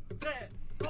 3, 2...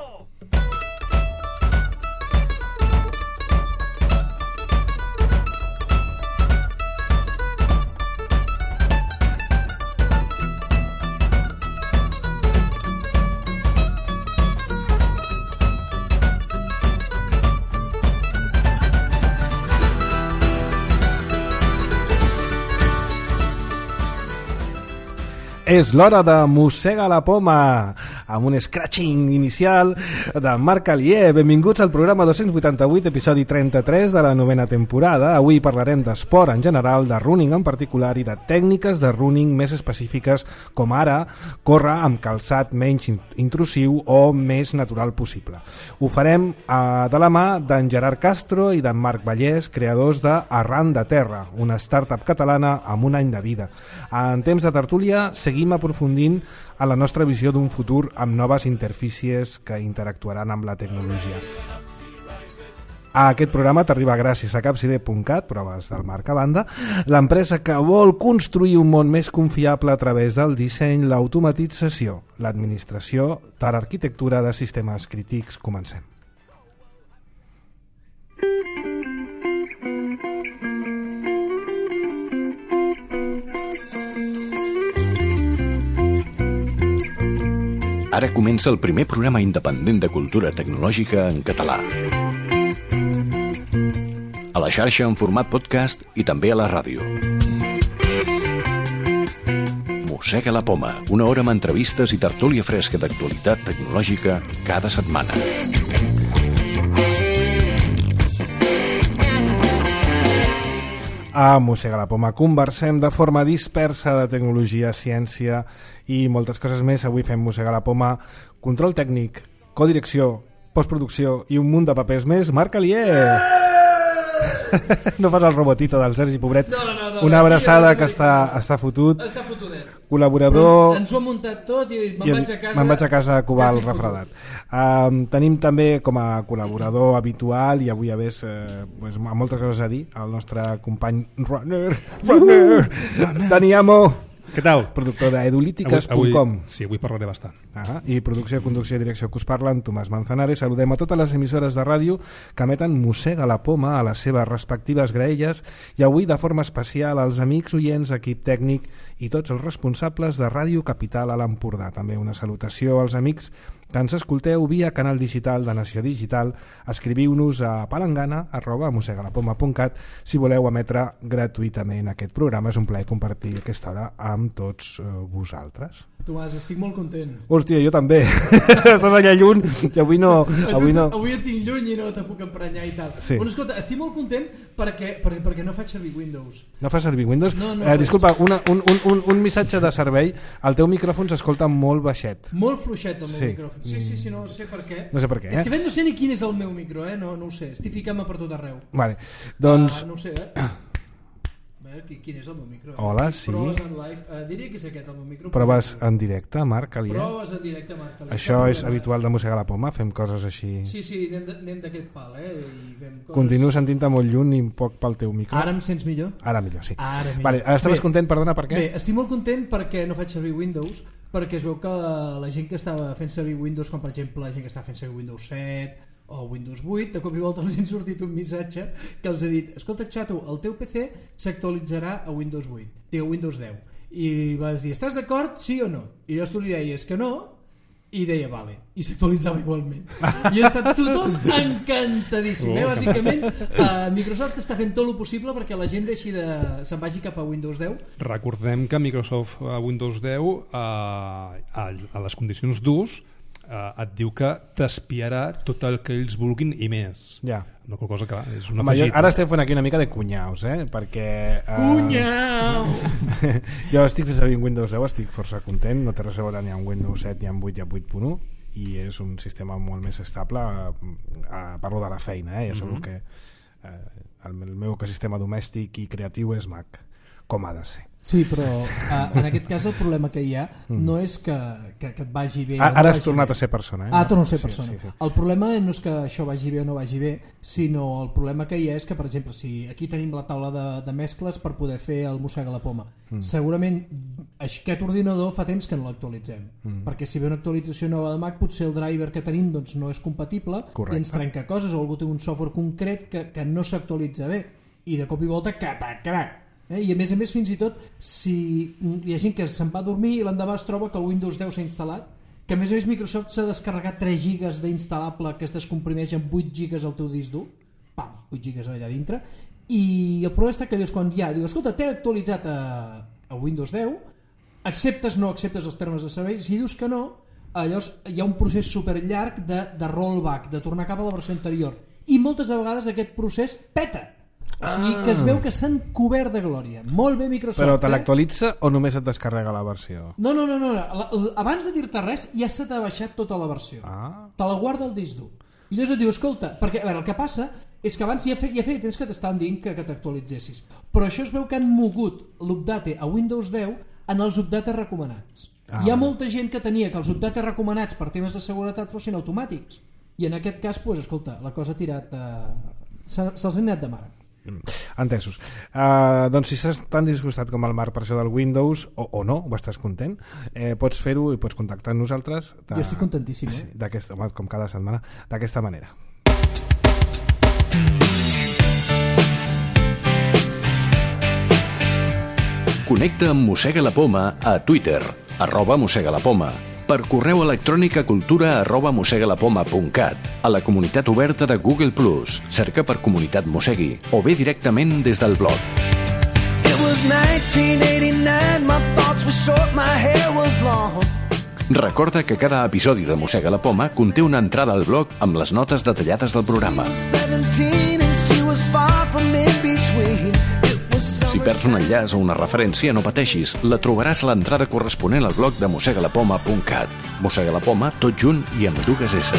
És l'hora de Mossega la Poma, amb un scratching inicial de Marc Alier. Benvinguts al programa 288, episodi 33 de la 9ª temporada. Avui parlarem d'esport en general, de running en particular i de tècniques de running més específiques, com ara córrer amb calçat menys intrusiu o més natural possible. Ho farem de la mà d'en Gerard Castro i d'en Marc Vallès, creadors de Arran de Terra, una startup catalana amb un any de vida. En temps de tertúlia seguim aprofundint a la nostra visió d'un futur amb noves interfícies que interactuaran amb la tecnologia. Aquest programa t'arriba gràcies a Capcide.cat, proves del Marc a banda, l'empresa que vol construir un món més confiable a través del disseny, l'automatització, l'administració de l'arquitectura de sistemes crítics. Comencem. Ara comença el primer programa independent de cultura tecnològica en català. A la xarxa en format podcast i també a la ràdio. Mossega la Poma, una hora amb entrevistes i tertúlia fresca d'actualitat tecnològica cada setmana. A Mossega la Poma conversem de forma dispersa de tecnologia, ciència i moltes coses més. Avui fem Mossega la Poma, control tècnic, codirecció, postproducció i un munt de papers més. Marc Alier! No fas el robotito del Sergi Pobret. No, una abraçada que està fotut. Està fotudet. Col·laborador... Ens ho ha muntat tot i me'n vaig a casa a covar el refredat. Tenim també com a col·laborador habitual i avui a més amb moltes coses a dir el nostre company Runner Dani Amo. Què tal? Productor d'edulítiques.com. Sí, avui parlaré bastant. I producció, conducció i direcció que us parlen, Tomàs Manzanares. Saludem a totes les emissores de ràdio que emeten Mossega la Poma a les seves respectives graelles i avui de forma especial als amics oients, equip tècnic i tots els responsables de Ràdio Capital a l'Empordà. També una salutació als amics que ens escolteu via canal digital de Nació Digital. Escriviu-nos a palangana@mossegalapoma.cat si voleu emetre gratuïtament aquest programa. És un plaer compartir aquesta hora amb tots vosaltres. Tomàs, estic molt content. Hòstia, jo també. Estàs allà lluny i avui no. Avui et tinc lluny i no te puc emprenyar i tal. Sí. Bueno, escolta, estic molt content perquè no faig servir Windows. No fas servir Windows? No, disculpa, un missatge de servei. El teu micròfon s'escolta molt baixet. Molt fluixet el meu micròfon. Sí, no sé per què. No sé per què, És que no sé ni quin és el meu micro, no ho sé. Estic ficant-me per tot arreu. Vale, doncs... No ho sé, A veure, quin és el meu micro? Hola, sí. Proves en live. Diria que és aquest el meu micro. Proves en directe, Marc Alier. Proves en directe, Marc Alier. Això és habitual de Mossegar la Poma, fem coses així. Sí, anem d'aquest pal, I fem coses... Continuo sentint-te molt lluny i un poc pel teu micro. Ara em sents millor? Ara millor, sí. Ara millor. Vale, estaves content, perdona, per què? Bé, estic molt content perquè no faig servir Windows, perquè es veu que la gent que estava fent servir Windows, com per exemple la gent que estava fent servir Windows 7 o Windows 8, de cop i volta els ha sortit un missatge que els ha dit: escolta, xato, el teu PC s'actualitzarà a Windows 8, digue Windows 10. I vas dir: estàs d'acord, sí o no? I llavors tu li deies que no, i deia vale, i s'actualitzava igualment. I ha estat tothom encantadíssim. Bàsicament, Microsoft està fent tot el possible perquè la gent se'n vagi cap a Windows 10. Recordem que Microsoft a Windows 10 a les condicions d'ús et diu que t'espiarà tot el que ells vulguin i més. Ja. Una cosa que és una afegit. Ara estem fent aquí una mica de cunyaus, perquè... Cunyau! Jo estic fent servir Windows 10, estic força content, no té res a veure ni amb Windows 7 ni amb 8 i amb 8.1, i és un sistema molt més estable. Parlo de la feina, ja sabeu que el meu ecosistema domèstic i creatiu és Mac, com ha de ser. Sí, però en aquest cas el problema que hi ha no és que et vagi bé. Ara has tornat a ser persona. Torno a ser persona. Sí. El problema no és que això vagi bé o no vagi bé, sinó el problema que hi ha és que, per exemple, si aquí tenim la taula de mescles per poder fer el Mossega la Poma, segurament aquest ordinador fa temps que no l'actualitzem, perquè si ve una actualització nova de Mac potser el driver que tenim doncs, no és compatible. Correcte. I ens trenca coses, o algú té un software concret que no s'actualitza bé i de cop i volta catac. I a més fins i tot si hi ha gent que se'n va a dormir i l'endemà es troba que el Windows 10 s'ha instal·lat, que a més Microsoft s'ha descarregat 3 gigas d'instal·lable que es descomprimeix en 8 gigas al teu disc dur, 8 gigas allà dintre, i el problema està que dius, quan ja dius, escolta, t'he actualitzat a Windows 10, acceptes o no acceptes els termes de servei, si dius que no, llavors hi ha un procés superllarg de rollback, de tornar cap a la versió anterior, i moltes vegades aquest procés peta. O sigui que es veu que s'han cobert de glòria. Molt bé Microsoft. Però te l'actualitza o només et descarrega la versió? No. Abans de dir-te res ja se t'ha baixat tota la versió. Te la guarda el disc dur. I llavors et diu, escolta, perquè a veure, el que passa és que abans ja feia temps que t'estaven dient que t'actualitzessis. Però això es veu que han mogut l'update a Windows 10 en els updates recomanats. Hi ha molta gent que tenia que els updates recomanats per temes de seguretat fossin automàtics. I en aquest cas, doncs, escolta, la cosa ha tirat... se'ls ha anat de mare. Entesos. Doncs si estàs tan disgustat com el Marc per això del Windows o no, o estàs content, pots fer-ho i pots contactar amb nosaltres jo estic contentíssim, sí, com cada setmana, d'aquesta manera. Connecta amb Mossega la Poma a Twitter, @mossegalapoma, per correu electrònic a cultura@mossegalapoma.cat, a la comunitat oberta de Google+, cerca per Comunitat Mossegui, o bé directament des del blog. Recorda que cada episodi de Mossega la Poma conté una entrada al blog amb les notes detallades del programa. Si perds un enllaç o una referència, no pateixis, la trobaràs a l'entrada corresponent al blog de mossegalapoma.cat. Mossega la Poma, tot junt i amb 2 S.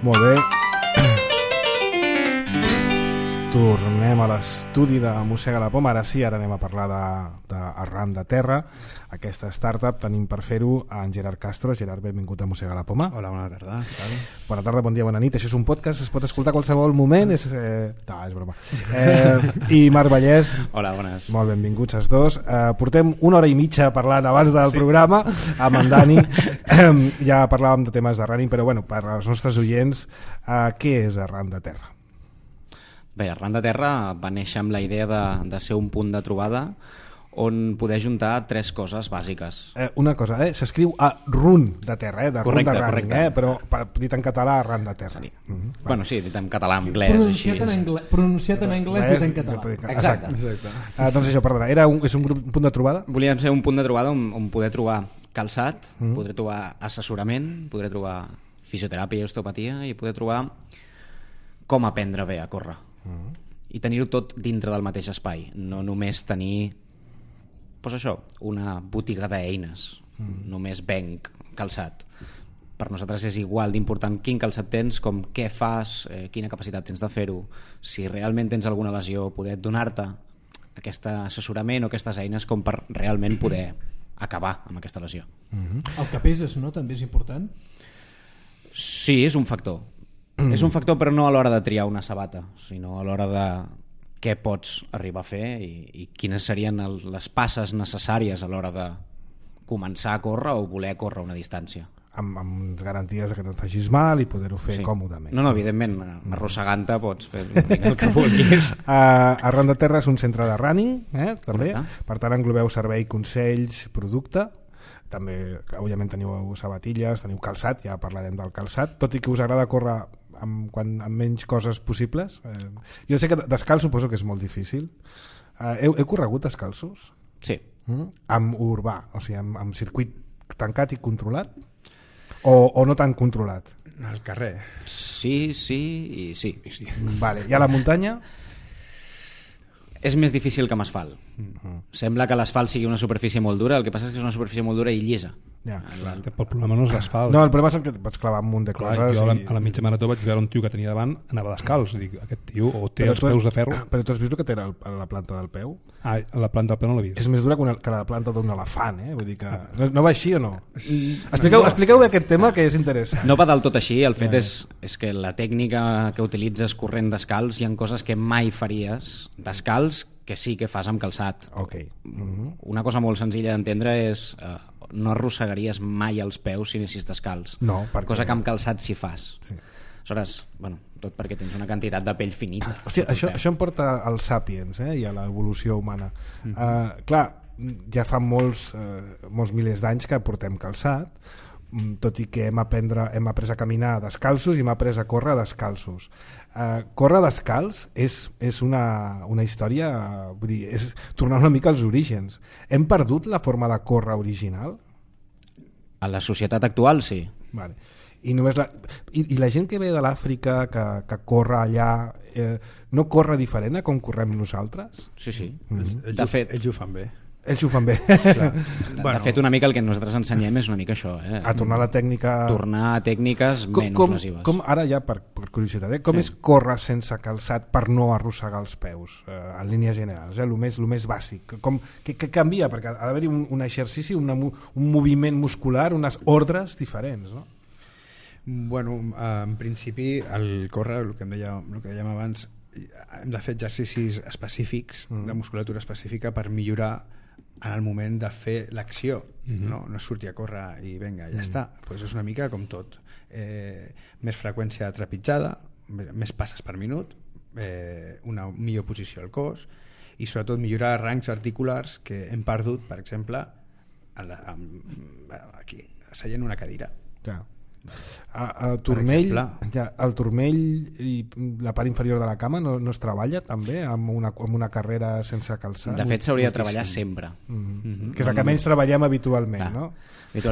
Molt bé. Tornem a l'estudi de Mossega la Poma. Ara anem a parlar d'Arran de Terra, aquesta startup. Tenim per fer-ho en Gerard Castro. Gerard, benvingut a Mossega la Poma. Hola, bona tarda. Bona tarda, bon dia, bona nit. Això és un podcast, es pot escoltar a qualsevol moment. És broma. I Marc Vallès. Hola, bones. Molt benvinguts els dos. Portem 1 hora i mitja parlant abans del programa amb en Dani. Ja parlàvem de temes de running, però bueno, per als nostres oients, què és Arran de Terra? Bé, Arran de Terra va néixer amb la idea de ser un punt de trobada on poder juntar 3 coses bàsiques. Una cosa, s'escriu a run de terra, de correcte, run de running, correcte. Però dit en català, Arran de Terra. Bueno, sí, dit en català, en anglès. Pronunciat en anglès, dit en català. Exacte. Doncs això, perdona, és un punt de trobada? Volíem ser un punt de trobada on poder trobar calçat, poder trobar assessorament, poder trobar fisioteràpia i osteopatia i poder trobar com aprendre bé a córrer. I tenir-ho tot dintre del mateix espai, no només tenir una botiga d'eines, només venc calçat. Per nosaltres és igual d'important quin calçat tens, com què fas, quina capacitat tens de fer-ho, si realment tens alguna lesió, poder donar-te aquest assessorament o aquestes eines com per realment poder acabar amb aquesta lesió. El que peses, no? També és important? Sí, és un factor. És un factor, però no a l'hora de triar una sabata, sinó a l'hora de què pots arribar a fer i quines serien les passes necessàries a l'hora de començar a córrer o voler córrer una distància. Amb garanties que no et facis mal i poder-ho fer còmodament. No, evidentment, arrossegant-te pots fer el que vulguis. Arran de Terra és un centre de running, també. Correcte. Per tant, englobeu servei, consells, producte. També, òbviament, teniu sabatilles, teniu calçat, ja parlarem del calçat, tot i que us agrada córrer amb menys coses possibles. Jo sé que descalç suposo que és molt difícil. Heu corregut descalços? Sí. Amb urbà, o sigui, amb circuit tancat i controlat? O no tan controlat? Al carrer. Sí i sí. Vale. I a la muntanya? És més difícil que amb asfalt, Sembla que l'asfalt sigui una superfície molt dura, el que passa és que és una superfície molt dura i llisa. Ja. El problema no és l'asfalt. No, el problema és que et pots clavar un munt de coses. Jo a la mitja marató vaig veure un tio que tenia davant, anava descalç. Dic, aquest tio o té els peus de ferro. Però tu has vist el que té a la planta del peu? La planta del peu no l'he vist. És més dura que la planta d'un elefant, eh? Vull dir que... No va així o no? Expliqueu aquest tema, que és interessant. No va del tot així, el fet és que la tècnica que utilitzes corrent descalç, hi ha coses que mai faries descalç que sí que fas amb calçat. Okay. Una cosa molt senzilla d'entendre és no arrossegaries mai els peus si anessis descalç. No, perquè... Cosa que amb calçat sí fas. Sí. Aleshores, bueno, tot perquè tens una quantitat de pell finita. Hòstia, això em porta als Sapiens, i a l'evolució humana. Clar, ja fa molts milers d'anys que portem calçat, tot i que hem après a caminar descalços i hem après a córrer descalços. Córrer descalç és una història, vull dir, és tornar una mica als orígens. Hem perdut la forma de córrer original? A la societat actual, sí. Vale. I la gent que ve de l'Àfrica, que corre allà, no corre diferent a com correm nosaltres? Sí. Ells ho fan bé. Ells ho fan bé. De fet, una mica el que nosaltres ensenyem és una mica això. A tornar a la tècnica... Tornar a tècniques menys lesives. Ara ja, per curiositat, com és córrer sense calçat per no arrossegar els peus, en línies generals, el més bàsic? Què canvia? Perquè ha d'haver-hi un exercici, un moviment muscular, unes ordres diferents, no? Bueno, en principi, el córrer, el que dèiem abans, hem de fer exercicis específics, de musculatura específica, per millorar en el moment de fer l'acció, no sortir a córrer i vinga, ja està. Pues és una mica com tot. Més freqüència de trepitjada, més passes per minut, una millor posició al cos i sobretot millorar rangs articulars que hem perdut, per exemple, aquí, seient una cadira. Ja. El turmell i la part inferior de la cama no es treballa també amb una carrera sense calçat? De fet s'hauria de treballar sempre, que és el que menys treballem habitualment, no?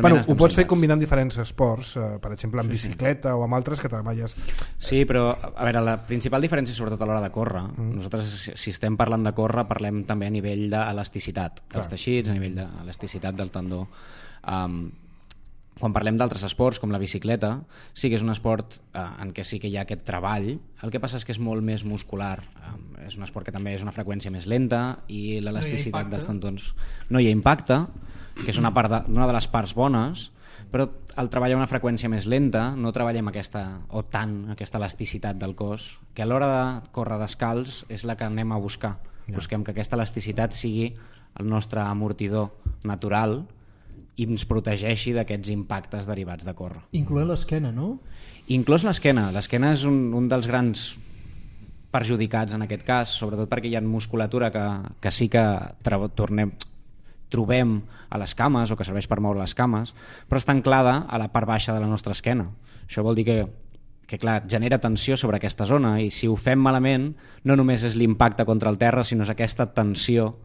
Bueno, ho pots fer combinant diferents esports, per exemple en bicicleta o amb altres que treballes. Sí, però a veure, la principal diferència sobretot a l'hora de córrer, nosaltres si estem parlant de córrer parlem també a nivell d'elasticitat dels teixits, a nivell d'elasticitat del tendó. Quan parlem d'altres esports com la bicicleta, sí que és un esport en què sí que hi ha aquest treball, el que passa és que és molt més muscular, és un esport que també és una freqüència més lenta i l'elasticitat dels tendons no hi ha impacte, que és una de les parts bones, però al treballar una freqüència més lenta no treballem aquesta elasticitat del cos, que a l'hora de córrer descalç és la que anem a buscar. Busquem que aquesta elasticitat sigui el nostre amortidor natural i ens protegeixi d'aquests impactes derivats de córrer. Incloent l'esquena, no? Inclòs l'esquena. L'esquena és un dels grans perjudicats en aquest cas, sobretot perquè hi ha musculatura que sí que trobem a les cames o que serveix per moure les cames, però està anclada a la part baixa de la nostra esquena. Això vol dir que clar, genera tensió sobre aquesta zona i si ho fem malament no només és l'impacte contra el terra, sinó és aquesta tensió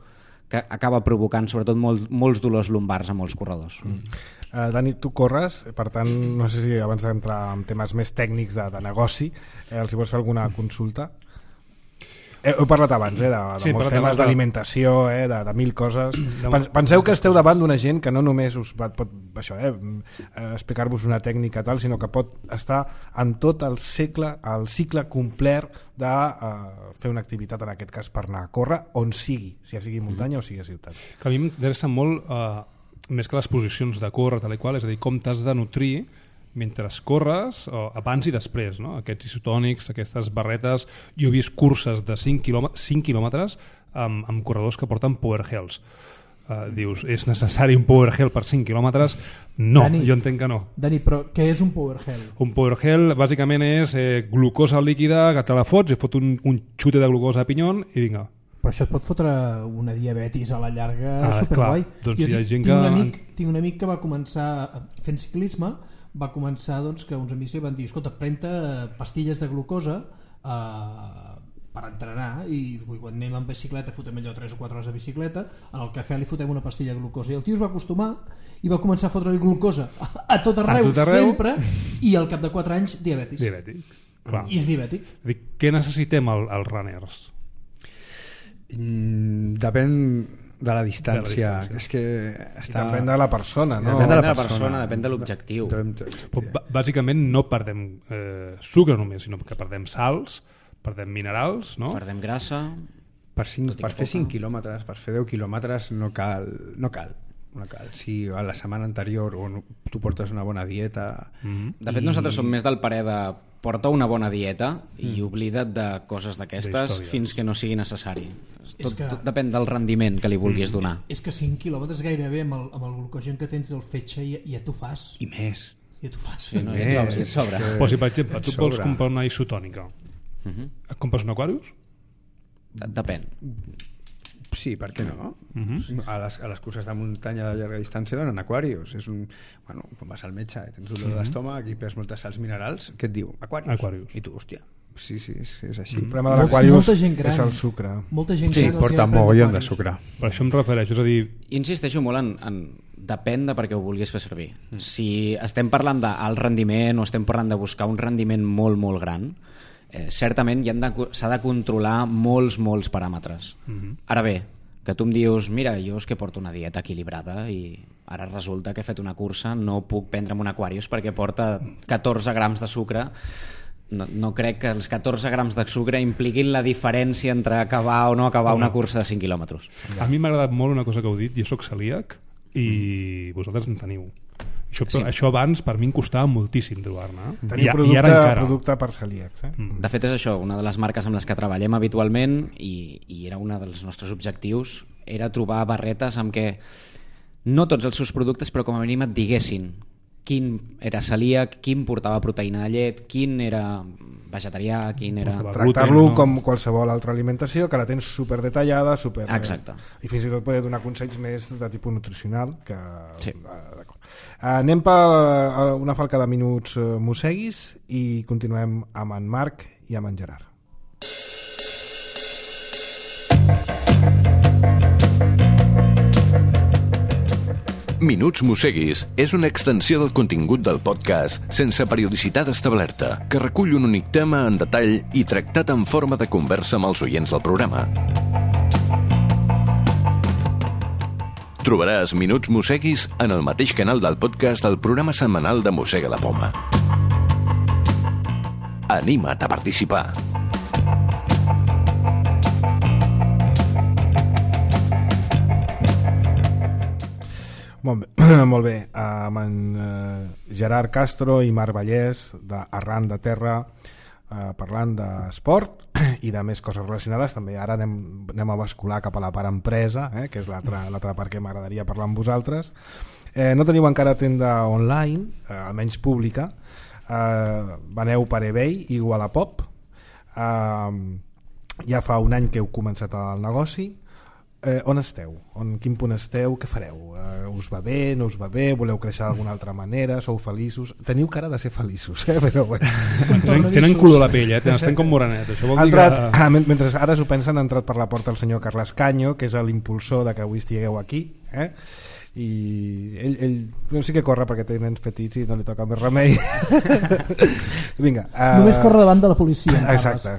que acaba provocant sobretot molts dolors lumbars a molts corredors. Dani, tu corres, per tant, no sé si abans d'entrar en temes més tècnics de negoci, els hi vols fer alguna consulta? Heu parlat abans de molts temes d'alimentació, de mil coses. Penseu que esteu davant d'una gent que no només us pot explicar-vos una tècnica tal, sinó que pot estar en tot el cicle complet de fer una activitat, en aquest cas per anar a córrer, on sigui, sigui muntanya o sigui ciutat. A mi m'interessa molt, més que les posicions de córrer, tal i qual, és a dir, com t'has de nutrir mentre corres, abans i després, no? Aquests isotònics, aquestes barretes. Jo he vist curses de 5 quilòmetres amb corredors que porten power hells. Dius, és necessari un power hell per 5 quilòmetres? No, Dani, jo entenc que no. Dani, però què és un power hell? Un power hell bàsicament és glucosa líquida que te la fots i fot un xute de glucosa a pinyon i vinga. Però això et pot fotre una diabetis a la llarga superguai. Doncs jo hi ha gent tinc un amic que va començar fent ciclisme, va començar que uns amics li van dir, escolta, pren-te pastilles de glucosa per entrenar, i quan anem en bicicleta fotem allò 3 o 4 hores de bicicleta, en el cafè li fotem una pastilla de glucosa, i el tio es va acostumar i va començar a fotre-li glucosa a tot arreu, sempre, i al cap de 4 anys diabetis. Clar. I és diabètic. Què necessitem els runners? Depèn de la distància. És que està... Depèn de la persona, no? Depèn de la persona, depèn de l'objectiu. Bàsicament no perdem sucre només, sinó que perdem sals, perdem minerals, no? Perdem grassa... Per fer 5 quilòmetres, per fer 10 quilòmetres no cal. Si a la setmana anterior tu portes una bona dieta... De fet, nosaltres som més del parer de porta una bona dieta i oblida't de coses d'aquestes fins que no sigui necessari. Tot depèn del rendiment que li vulguis donar. És que 5 quilòmetres gairebé amb el glucogen que tens del fetge ja t'ho fas. I més. Ja t'ho fas. Sí, no? Ja et sobra. Però si, per exemple, tu vols comprar una isotònica, et compres un Aquarius? Depèn. Sí, per què no? A les curses de muntanya de llarga distància donen Aquarius. Quan vas al metge i tens dolor d'estómac i perds moltes sals minerals, què et diu? Aquarius. I tu, hòstia, sí, és així. El problema de l'Aquarius és el sucre. Molta gent gran porta mogollon de sucre. Per això em refereixo, és a dir... Insisteixo molt en depèn de per què ho vulguis fer servir. Si estem parlant d'alt rendiment o estem parlant de buscar un rendiment molt, molt gran, certament s'ha de controlar molts paràmetres. Ara bé, que tu em dius mira, jo és que porto una dieta equilibrada i ara resulta que he fet una cursa, no puc prendre'm un Aquarius perquè porta 14 grams de sucre. No crec que els 14 grams de sucre impliquin la diferència entre acabar o no acabar una cursa de 5 quilòmetres. A mi m'ha agradat molt una cosa que heu dit, jo soc celíac i vosaltres en teniu. Això abans per mi em costava moltíssim trobar-ne. Teniu producte per celíacs. De fet és això, una de les marques amb les que treballem habitualment i era un dels nostres objectius, era trobar barretes amb què no tots els seus productes, però com a mínim et diguessin quin era celíac, quin portava proteïna de llet, quin era vegetarià, quin era... Tractar-lo com qualsevol altra alimentació, que la tens superdetallada, Exacte. I fins i tot poder donar consells més de tipus nutricional. Sí. D'acord. Anem per una falca de minuts mosseguis i continuem amb en Marc i amb en Gerard. Minuts Mosseguis és una extensió del contingut del podcast sense periodicitat establerta, que recull un únic tema en detall i tractat en forma de conversa amb els oients del programa. Trobaràs Minuts Mosseguis en el mateix canal del podcast del programa setmanal de Mossega la Poma. Anima't a participar! Molt bé. Amb en Gerard Castro i Marc Vallès d'Arran de Terra, parlant d'esport i de més coses relacionades. També ara anem a bascular cap a la part empresa, que és l'altra part que m'agradaria parlar amb vosaltres. No teniu encara tenda online, almenys pública. Veneu per eBay i Wallapop. Ja fa un any que heu començat el negoci. On esteu? Quin punt esteu? Què fareu? Us va bé? No us va bé? Voleu créixer d'alguna altra manera? Sou feliços? Teniu cara de ser feliços, però bueno. Tenen color a la pell, estem com morenet. Això vol dir que... Mentre ara s'ho pensen, ha entrat per la porta el senyor Carles Canyo, que és l'impulsor de que avui estigueu aquí, i ell sí que corre perquè té nens petits i no li toca més remei. Vinga, només corre davant de la policia. Exacte.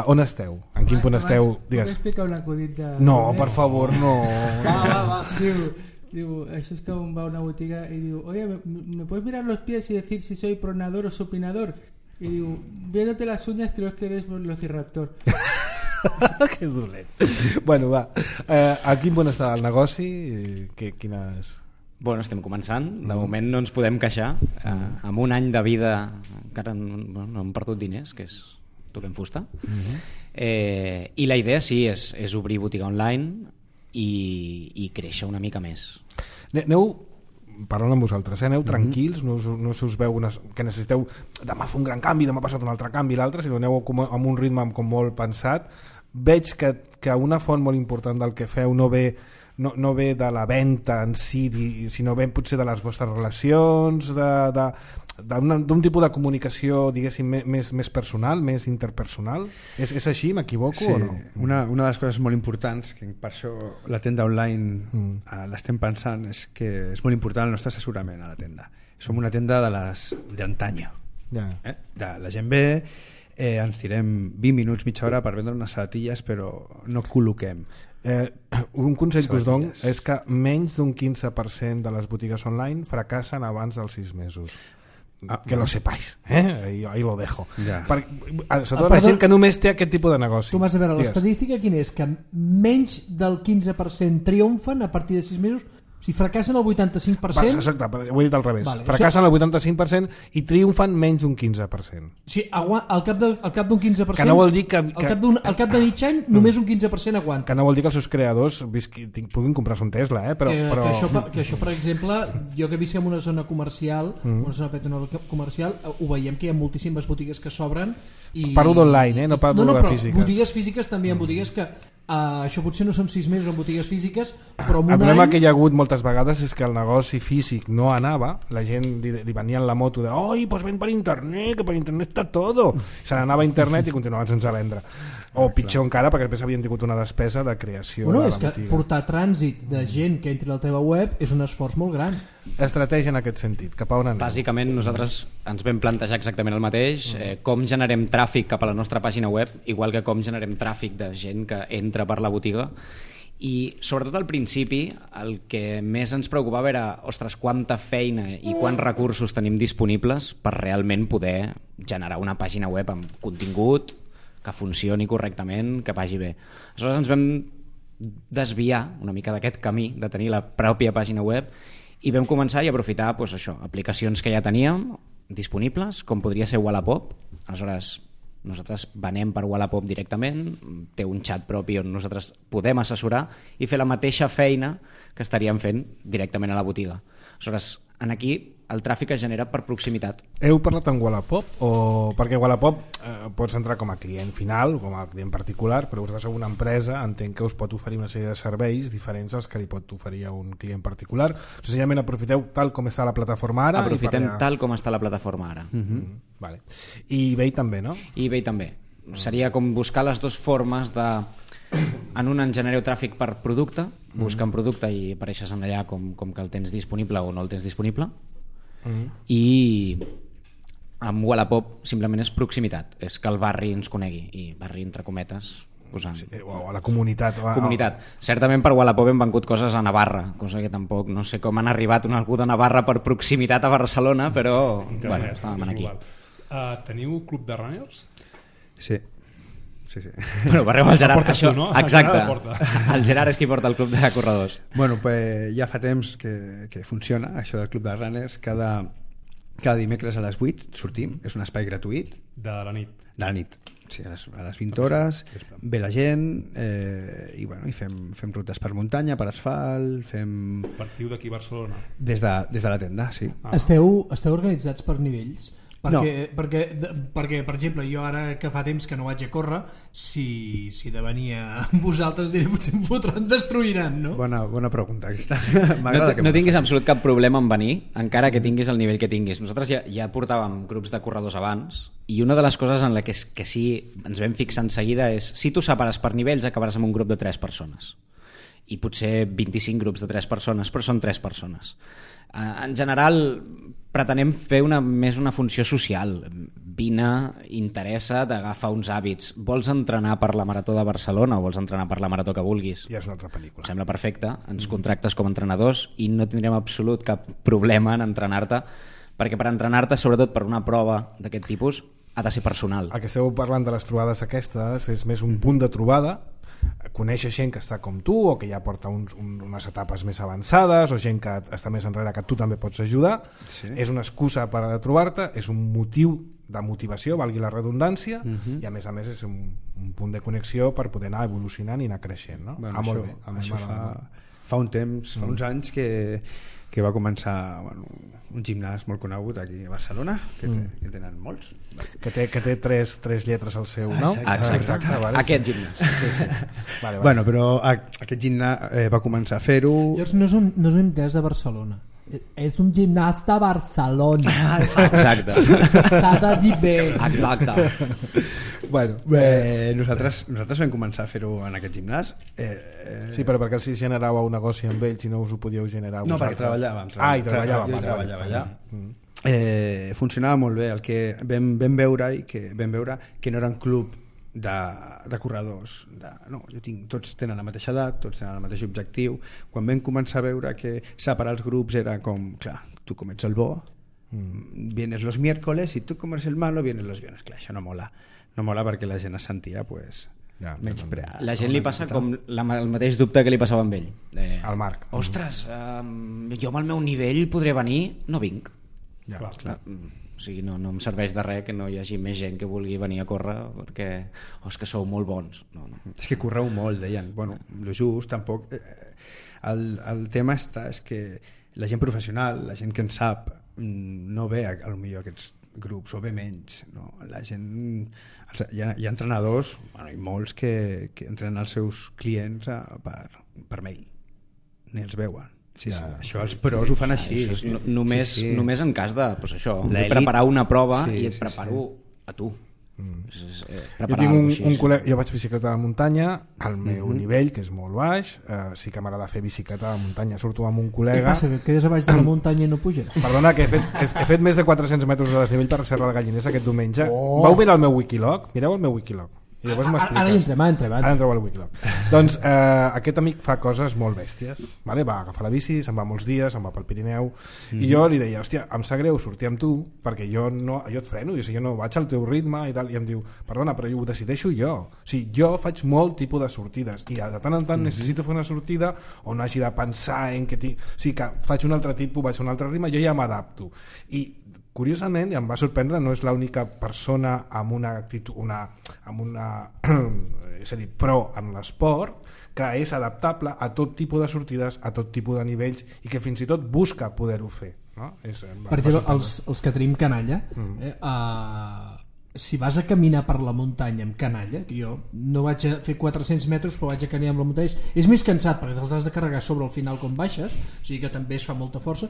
On esteu? En quin punt esteu? Digues. Explicar un acudit de... No, per favor, no. Va. Diu, això és que un va a una botiga i diu, oye, ¿me puedes mirar los pies y decir si soy pronador o supinador? Y diu, viéndote las uñas creo que eres velociraptor. Que dolent. Bueno, va. A quin punt està el negoci? Quines... Bueno, estem començant. De moment no ens podem queixar. Amb un any de vida encara no hem perdut diners, que és toquem fusta. I la idea sí és obrir botiga online i créixer una mica més. Aneu parlant amb vosaltres, aneu tranquils, no us veu que necessiteu demà fer un gran canvi, demà ha passat un altre canvi i l'altre, sinó aneu amb un ritme com molt pensat. Veig que una font molt important del que feu no ve de la venda en si, sinó ve potser de les vostres relacions, d'un tipus de comunicació, diguéssim, més personal, més interpersonal. És així, m'equivoco o no? Una de les coses molt importants, que per això la tenda online l'estem pensant, és que és molt important el nostre assessorament a la tenda. Som una tenda de les d'antanya. La gent ve ens tirem 20 minuts, mitja hora per vendre unes sabatilles, però no col·loquem. Un consell que us dono és que menys d'un 15% de les botigues online fracassen abans dels 6 mesos. Que lo sepáis, ahí lo dejo. Ja. Sobretot la gent que només té aquest tipus de negoci. Tu m'has de veure, l'estadística quina és? Que menys del 15% triomfen a partir de 6 mesos. O sigui, fracassen el 85%... Exacte, ho he dit al revés. Vale, fracassen el 85% i triomfen menys d'un 15%. Sí, al cap d'un 15%... Que no vol dir que... Al cap de mig any, només un 15% aguanta. Que no vol dir que els seus creadors puguin comprar-se un Tesla, però... Que això, per exemple, jo que visc en una zona comercial, una zona comercial, ho veiem que hi ha moltíssimes botigues que s'obren i... Parlo d'online, no parlo de físiques. Botigues físiques també, en botigues que... això potser no són 6 mesos en botigues físiques, però en un el problema any... que hi ha hagut moltes vegades és que el negoci físic no anava, la gent li venia en la moto de oi, pues ven per internet, que per internet està todo, se n'anava a internet i continuaven sense vendre, o pitjor encara perquè després havien tingut una despesa de creació de la botiga. És que portar trànsit de gent que entri a la teva web és un esforç molt gran. Estratègia en aquest sentit, cap a on anem? Bàsicament nosaltres ens vam plantejar exactament el mateix, com generem tràfic cap a la nostra pàgina web, igual que com generem tràfic de gent que entra per la botiga, i sobretot al principi el que més ens preocupava era ostres, quanta feina i quants recursos tenim disponibles per realment poder generar una pàgina web amb contingut que funcioni correctament, que vagi bé. Aleshores ens vam desviar una mica d'aquest camí de tenir la pròpia pàgina web i vam començar i aprofitar doncs, això, aplicacions que ja teníem disponibles, com podria ser Wallapop. Aleshores nosaltres venem per Wallapop directament, té un xat propi on nosaltres podem assessorar i fer la mateixa feina que estaríem fent directament a la botiga. Aleshores, aquí el tràfic es genera per proximitat. Heu parlat amb Wallapop? Perquè Wallapop pots entrar com a client final, com a client particular, però vosaltres sou una empresa, entenc que us pot oferir una sèrie de serveis diferents als que li pot oferir a un client particular. Senzillament aprofiteu tal com està la plataforma ara? Aprofitem tal com està la plataforma ara. Vale. I eBay també, no? I eBay també. Seria com buscar les dues formes de... En un en genereu tràfic per producte, buscant producte i apareixes en allà com que el tens disponible o no el tens disponible, i amb Wallapop simplement és proximitat, és que el barri ens conegui, i barri entre cometes posant... Sí, o la comunitat. Comunitat. Certament per Wallapop hem vengut coses a Navarra, cosa que tampoc no sé com han arribat algú de Navarra per proximitat a Barcelona, però bueno, estàvem aquí. Teniu club de runners? Sí. Sí. Bueno, parleu al Gerard, això, tu, no? exacte. El Gerard és qui porta el club de corredors. Bueno, pues ja fa temps que funciona això del club de runners. Cada dimecres a les 8 sortim, és un espai gratuït. De la nit. De la nit, sí, a les 20 hores, ve la gent i fem rutes per muntanya, per asfalt, fem... Partiu d'aquí a Barcelona? Des de la tenda, sí. Esteu organitzats per nivells? Perquè, no. perquè, per exemple, jo ara que fa temps que no vaig a córrer, si de venir amb vosaltres diré potser em fotran, destruiran, no? Bona pregunta aquesta. No tinguis absolut cap problema en venir, encara que tinguis el nivell que tinguis. Nosaltres ja portàvem grups de corredors abans, i una de les coses en la que sí ens vam fixar en seguida és si tu separes per nivells acabaràs amb un grup de 3 persones. I potser 25 grups de 3 persones, però són 3 persones. En general pretenem fer més una funció social. Vine, interessa, t'agafa uns hàbits. Vols entrenar per la Marató de Barcelona o vols entrenar per la Marató que vulguis? Ja és una altra pel·lícula. Em sembla perfecte, ens contractes com a entrenadors i no tindrem absolut cap problema en entrenar-te, perquè per entrenar-te, sobretot per una prova d'aquest tipus, ha de ser personal. El que esteu parlant de les trobades aquestes és més un punt de trobada, conèixer gent que està com tu o que ja porta unes etapes més avançades o gent que està més enrere que tu també pots ajudar, sí. És una excusa per a trobar-te, és un motiu de motivació, valgui la redundància, i a més és un punt de connexió per poder anar evolucionant i anar creixent, no? Bueno, molt bé. Això fa un temps, fa uns anys que va començar un gimnàs molt conegut aquí a Barcelona, que tenen molts. Que té tres lletres al seu nom. Exacte. Vale. Aquest gimnàs. Sí. Vale. Bueno, però aquest gimnàs va començar a fer-ho... No és un gimnàs de Barcelona. És un gimnàs de Barcelona. Exacte. S'ha de dir bé. Exacte. Bueno, nosaltres vam començar a fer-ho en aquest gimnàs. Sí, però perquè els generàveu un negoci amb ells i no us ho podíeu generar vosaltres? No, perquè treballàvem. Jo treballava allà. funcionava molt bé. El que vam veure que no era un club de corredors tots tenen la mateixa edat, tots tenen el mateix objectiu. Quan vam començar a veure que separar els grups era com, clar, tu com ets el bo vienes los miércoles i tu com ets el malo vienes los viernes. Clar, això no mola perquè la gent es sentia menyspreada. La gent li passa com el mateix dubte que li passava amb ell, al Marc. Ostres, jo amb el meu nivell podré venir, no vinc. Clar. O sigui, no em serveix de res que no hi hagi més gent que vulgui venir a córrer perquè és que sou molt bons. No. És que correu molt, deien. Bueno, lo just, tampoc... El tema és que la gent professional, la gent que en sap, no ve a lo millor aquests grups, o ve menys. No? La gent... Hi ha entrenadors, i molts que entrenen els seus clients per mail. Ni els veuen. Sí. Això els pros ho fan així. Només en cas de preparar una prova i et preparo a tu. Jo tinc un col·lega, jo vaig bicicleta de muntanya al meu nivell, que és molt baix, sí que m'agrada fer bicicleta de muntanya, surto amb un col·lega. Què passa, que quedes a baix de la muntanya i no puges? Perdona, que he fet més de 400 metres de desnivell per Serra del Galliners aquest diumenge. Vau mirar el meu Wikilog? Mireu el meu Wikilog i llavors m'expliques. Ara entrem. Ara entreu al Wikilog. Doncs aquest amic fa coses molt bèsties, vale? Va agafar la bici, se'n va molts dies, se'n va pel Pirineu, i jo li deia, hòstia, em sap greu sortir amb tu perquè jo et freno, jo no vaig al teu ritme i tal, i em diu, perdona, però ho decideixo jo. O sigui, jo faig molt tipus de sortides i de tant en tant necessito fer una sortida on no hagi de pensar en que o sigui, que faig un altre tipus, vaig a un altre ritme, jo ja m'adapto. I curiosament, i em va sorprendre, no és l'única persona amb una actitud, és a dir, pro en l'esport, que és adaptable a tot tipus de sortides, a tot tipus de nivells i que fins i tot busca poder-ho fer. No? Per exemple, els que tenim canalla, si vas a caminar per la muntanya amb canalla, que jo no vaig a fer 400 metres però vaig a caminar amb la muntanya, és més cansat perquè te'ls has de carregar sobre al final quan baixes, o sigui que també es fa molta força.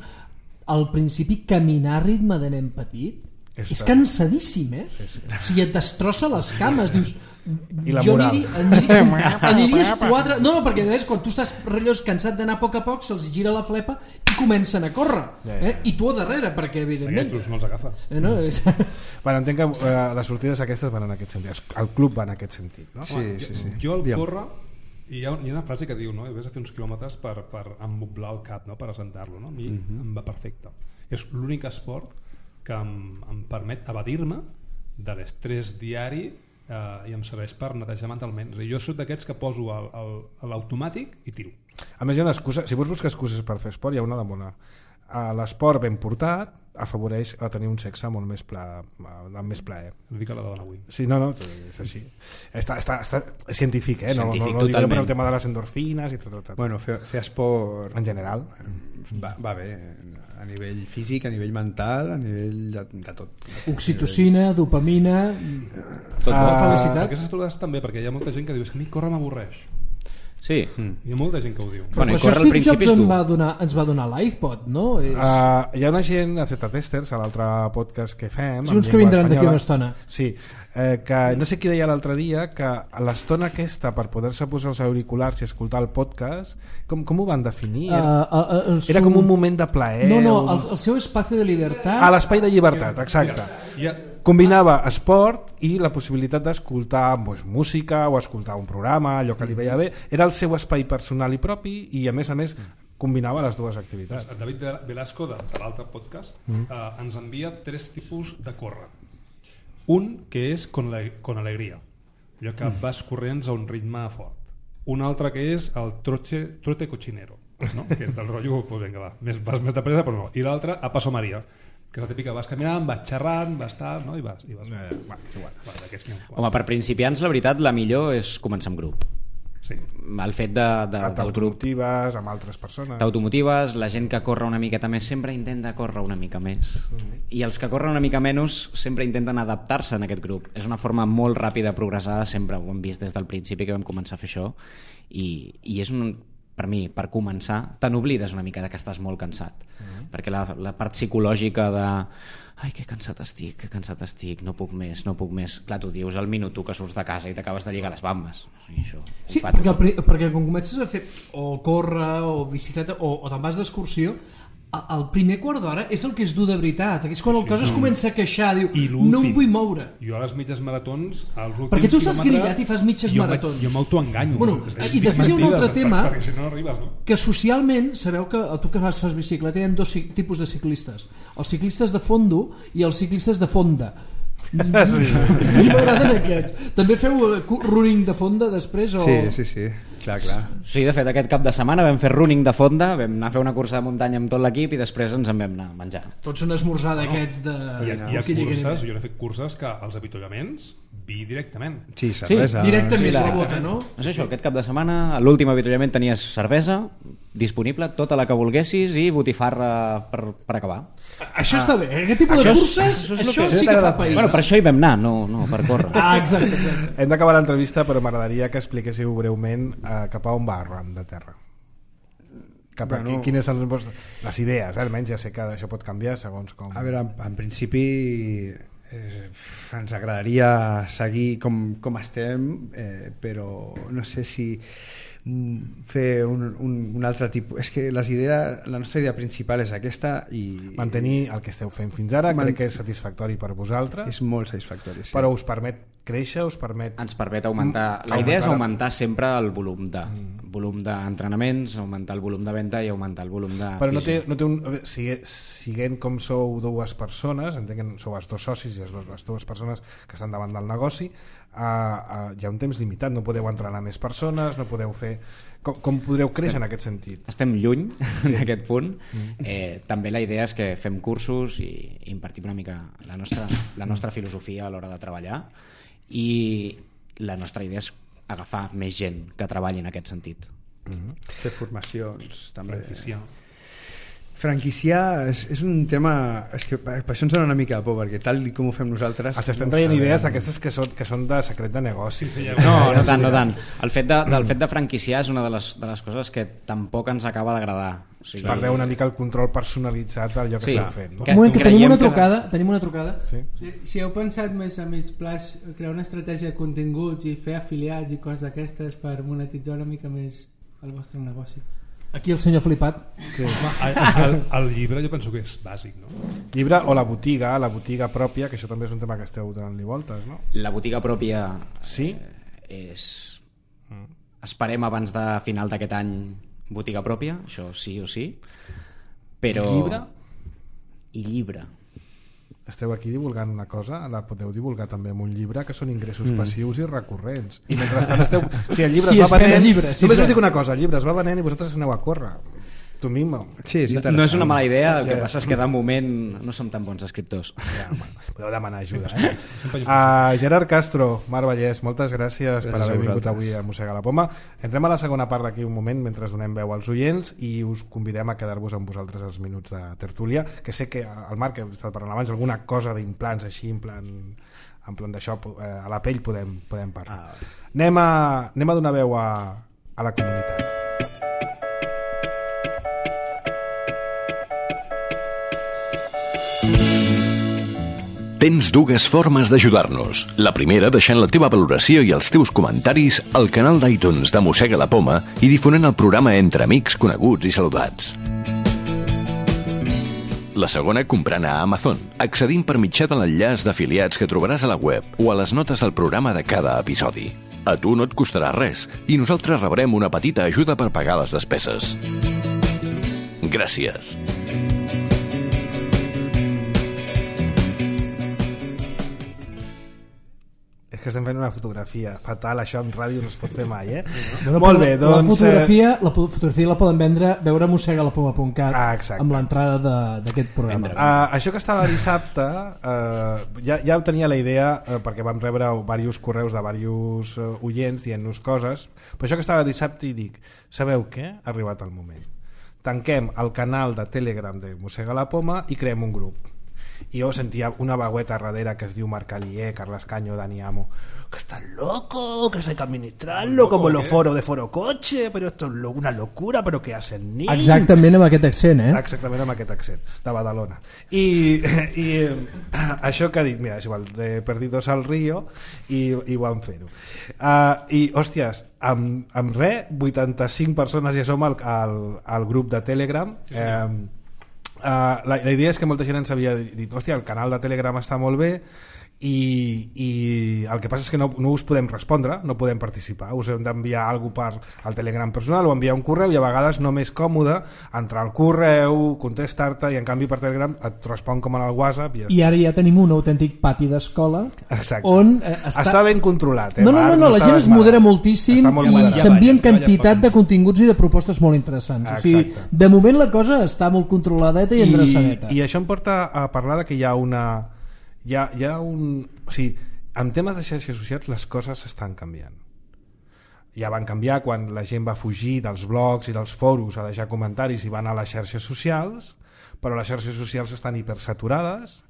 Al principi caminar a ritme de nen petit és cansadíssim, Sí. O sigui, et destrossa les cames, dius jo aniries 4... No, perquè quan tu estàs cansat d'anar a poc se'ls gira la flepa i comencen a córrer, i tu a darrere, perquè evidentment no els agafes. Bueno, entenc que les sortides aquestes van en aquest sentit, el club va en aquest sentit, no? Sí. Jo al córrer hi ha una frase que diu, no? Ves a fer uns quilòmetres per emboblar el cap, no? Per assentar-lo, no? A mi em va perfecte. És l'únic esport que em permet evadir-me de l'estrès diari i em serveix per netejar mentalment. Jo soc d'aquests que poso l'automàtic i tiro. A més, hi ha una excusa, si vols buscar excuses per fer esport, hi ha una de bona. L'esport ben portat afavoreix a tenir un sexe molt més amb més plaer. No dic a la dona avui. Sí, no, és així. Està científic, No dic jo per el tema de les endorfines i tot. Bueno, fer esport en general va bé, a nivell físic, a nivell mental, a nivell de tot. Oxitocina, dopamina, felicitat. Aquestes trobades també, perquè hi ha molta gent que diu és que a mi córrer m'avorreix. Sí. Hi ha molta gent que ho diu. Però això Steve Jobs ens va donar l'iPod, no? Hi ha una gent a Z-Testers, a l'altre podcast que fem, uns que vindran d'aquí una estona. Sí, que no sé qui deia l'altre dia que l'estona aquesta per poder-se posar els auriculars i escoltar el podcast, com ho van definir? Era com un moment de plaer. No, el seu espai de llibertat. L'espai de llibertat, exacte. Combinava esport i la possibilitat d'escoltar música o escoltar un programa, allò que li veia bé. Era el seu espai personal i propi i a més combinava les dues activitats. David Velasco de l'altre podcast ens envia 3 tipus de córrer. Un que és con alegria, allò que vas corrents a un ritme fort. Un altre que és el trote cochinero, no? Que és el rotllo, pues vinga, va, vas més de pressa però no. I l'altre a paso María, que és la típica, vas caminant, vas xerrant, vas tal, no? I vas. Home, per principiants la veritat la millor és començar amb grup. Sí. El fet del grup t'automotives amb altres persones, t'automotives, la gent que corre una miqueta més sempre intenta córrer una mica més i els que corren una mica menys sempre intenten adaptar-se en aquest grup. És una forma molt ràpida de progressar, sempre ho hem vist des del principi que vam començar a fer això i és per mi, per començar, te n'oblides una mica que estàs molt cansat perquè la part psicològica de ai, que cansat estic, no puc més. Clar, tu dius al minut que surts de casa i t'acabes de lligar les bambes. Això, sí, perquè quan comences a fer o córrer o bicicleta o te'n vas d'excursió, el primer quart d'hora és el que és dur de veritat. És quan el cos es comença a queixar, diu, no em vull moure. Jo a les mitges maratons, als últims perquè tu estàs grillat i fas mitges maratons. Jo m'autoenganyo. Bueno, i després hi ha un altre tema, perquè si no arribes, no? Que socialment sabeu que tu que fas bicicleta hi ha dos tipus de ciclistes, els ciclistes de fondo i els ciclistes de fonda. Sí. M'agraden aquests. També feu running de fonda després? O... Sí, clar. Sí, de fet, aquest cap de setmana vam fer running de fonda, vam anar a fer una cursa de muntanya amb tot l'equip i després ens en vam anar a menjar. Tots un esmorzar d'aquests de... Hi ha curses, jo he fet curses que els avituallaments vi directament. Sí, cervesa. Directament la bota, no? És això, aquest cap de setmana, a l'últim avituallament tenies cervesa disponible, tota la que volguessis i botifarra per acabar. Això està bé, aquest tipus de curses, això sí que fa país. Bueno, per això hi vam anar, no per córrer. Exacte. Hem d'acabar l'entrevista, però m'agradaria que expliquéssiu breument cap a on va Arran de Terra. Cap aquí, quines són les idees, almenys ja sé que això pot canviar segons com... A veure, en principi ens agradaria seguir com estem, però no sé si fer un altre tipus. És que la nostra idea principal és aquesta i... Mantenir el que esteu fent fins ara, crec que és satisfactori per vosaltres. És molt satisfactori, sí. Però us permet créixer, us permet... Ens permet augmentar... La idea és augmentar sempre el volum d'entrenaments, augmentar el volum de venda i augmentar el volum de... Però no té un... Siguent com sou dues persones, entenc que sou els dos socis i les dues persones que estan davant del negoci, hi ha un temps limitat, no podeu entrenar més persones, no podeu fer... Com podreu créixer en aquest sentit? Estem lluny d'aquest punt. També la idea és que fem cursos i impartim una mica la nostra filosofia a l'hora de treballar, i la nostra idea és agafar més gent que treballi en aquest sentit. Fer formacions també. Franquiciar és un tema, és que per això ens dona una mica de por, perquè tal com ho fem nosaltres... Els estem traient idees d'aquestes que són de secret de negoci. No tant. El fet de franquiciar és una de les coses que tampoc ens acaba d'agradar. O sigui, perdeu una mica el control personalitzat d'allò que esteu fent. Un moment, que tenim una trucada. Sí. Si heu pensat més a mig plaç crear una estratègia de continguts i fer afiliats i coses d'aquestes per monetitzar una mica més el vostre negoci. Aquí el senyor flipat. Sí. El llibre jo penso que és bàsic, no? Llibre o la botiga pròpia, que això també és un tema que esteu donant-li voltes, no? La botiga pròpia sí? És... Esperem abans de final d'aquest any botiga pròpia, això sí o sí. Però... Llibre? I llibre. Esteu aquí divulgant una cosa, la podeu divulgar també amb un llibre, que són ingressos passius i recurrents. I mentrestant esteu... O sigui, el llibre es va venent... Només us dic una cosa, el llibre es va venent i vosaltres aneu a córrer. Tu mismo. Sí, no és una mala idea, el que passa és que de moment no som tan bons escriptors. Ja, podeu demanar ajuda. Gerard Castro, Mar Vallès, moltes gràcies per haver vingut avui a Mossega la Poma. Entrem a la segona part d'aquí un moment mentre donem veu als oients i us convidem a quedar-vos amb vosaltres els minuts de tertúlia, que sé que el Marc, que he estat parlant abans, alguna cosa d'implants així, en plan d'això, a la pell podem parlar. Anem a donar veu a la comunitat. Tens dues formes d'ajudar-nos. La primera, deixant la teva valoració i els teus comentaris al canal d'iTunes de Mossega la Poma i difonent el programa entre amics, coneguts i saludats. La segona, comprant a Amazon, accedint per mitjà de l'enllaç d'afiliats que trobaràs a la web o a les notes del programa de cada episodi. A tu no et costarà res i nosaltres rebrem una petita ajuda per pagar les despeses. Gràcies. És que estem fent una fotografia fatal, això en ràdio no es pot fer mai, Molt bé, doncs... La fotografia la poden veure a mossegalapoma.cat amb l'entrada d'aquest programa. Això que estava dissabte ja tenia la idea perquè vam rebre diversos correus de diversos oients dient-nos coses, però això que estava dissabte i dic, sabeu què? Ha arribat el moment. Tanquem el canal de Telegram de Mossega la Poma i creem un grup. I jo sentia una veueta darrere que es diu Marc Alier, Carles Caño, Dani Amo, que estás loco, que hay que administrarlo como los foros de Foro Coche, pero esto es una locura, pero què hacen ni? Exactament amb aquest accent, Exactament amb aquest accent, de Badalona. I això que ha dit, mira, és igual, de Perdidos al Río, i van fer-ho. I, hòsties, amb res, 85 persones ja som al grup de Telegram. La idea és que molta gent ens havia dit, hòstia, el canal de Telegram està molt bé, i el que passa és que no us podem respondre, no podem participar, us hem d'enviar alguna cosa per al Telegram personal o enviar un correu, i a vegades no m'és còmode entrar al correu, contestar-te, i en canvi per Telegram et respon com en el WhatsApp i ara ja tenim un autèntic pati d'escola on està ben controlat, no, la gent es modera moltíssim i s'envien quantitat de continguts i de propostes molt interessants. O sigui, de moment la cosa està molt controladeta i endreçadeta, i això em porta a parlar de que hi ha o sigui, en temes de xarxes socials les coses estan canviant. Ja van canviar quan la gent va fugir dels blogs i dels foros a deixar comentaris i van a les xarxes socials, però les xarxes socials estan hipersaturades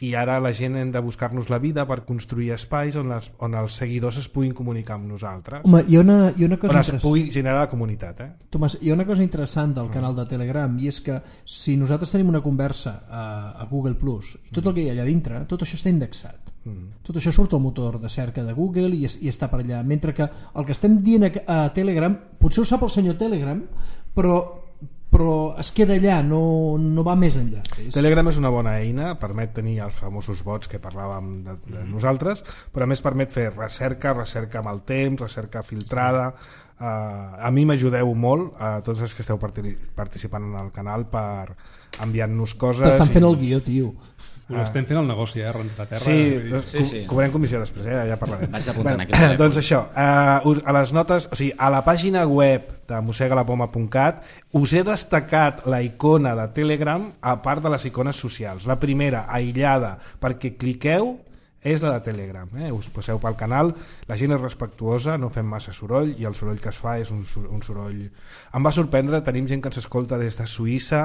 i ara la gent hem de buscar-nos la vida per construir espais on els seguidors es puguin comunicar amb nosaltres. Home, hi ha una cosa on es pugui generar la comunitat. Tomàs, hi ha una cosa interessant del canal de Telegram, i és que si nosaltres tenim una conversa a Google Plus i tot el que hi ha allà dintre, tot això està indexat. Tot això surt al motor de cerca de Google i està per allà, mentre que el que estem dient a Telegram potser ho sap el senyor Telegram, però es queda allà, no va més enllà. Telegram és una bona eina, permet tenir els famosos bots que parlàvem de nosaltres, però a més permet fer recerca amb el temps, recerca filtrada. A mi m'ajudeu molt, a tots els que esteu participant en el canal, per enviar-nos coses. T'estan fent el guió, tio. Us estem fent el negoci, renta terra. Sí, cobrem comissió després, ja parlarem. Vaig apuntant aquí. Doncs això, a les notes, o sigui, a la pàgina web de mosegalapoma.cat us he destacat la icona de Telegram a part de les icones socials. La primera, aïllada, perquè cliqueu, és la de Telegram. Us passeu pel canal, la gent és respectuosa, no fem massa soroll, i el soroll que es fa és un soroll... Em va sorprendre, tenim gent que ens escolta des de Suïssa,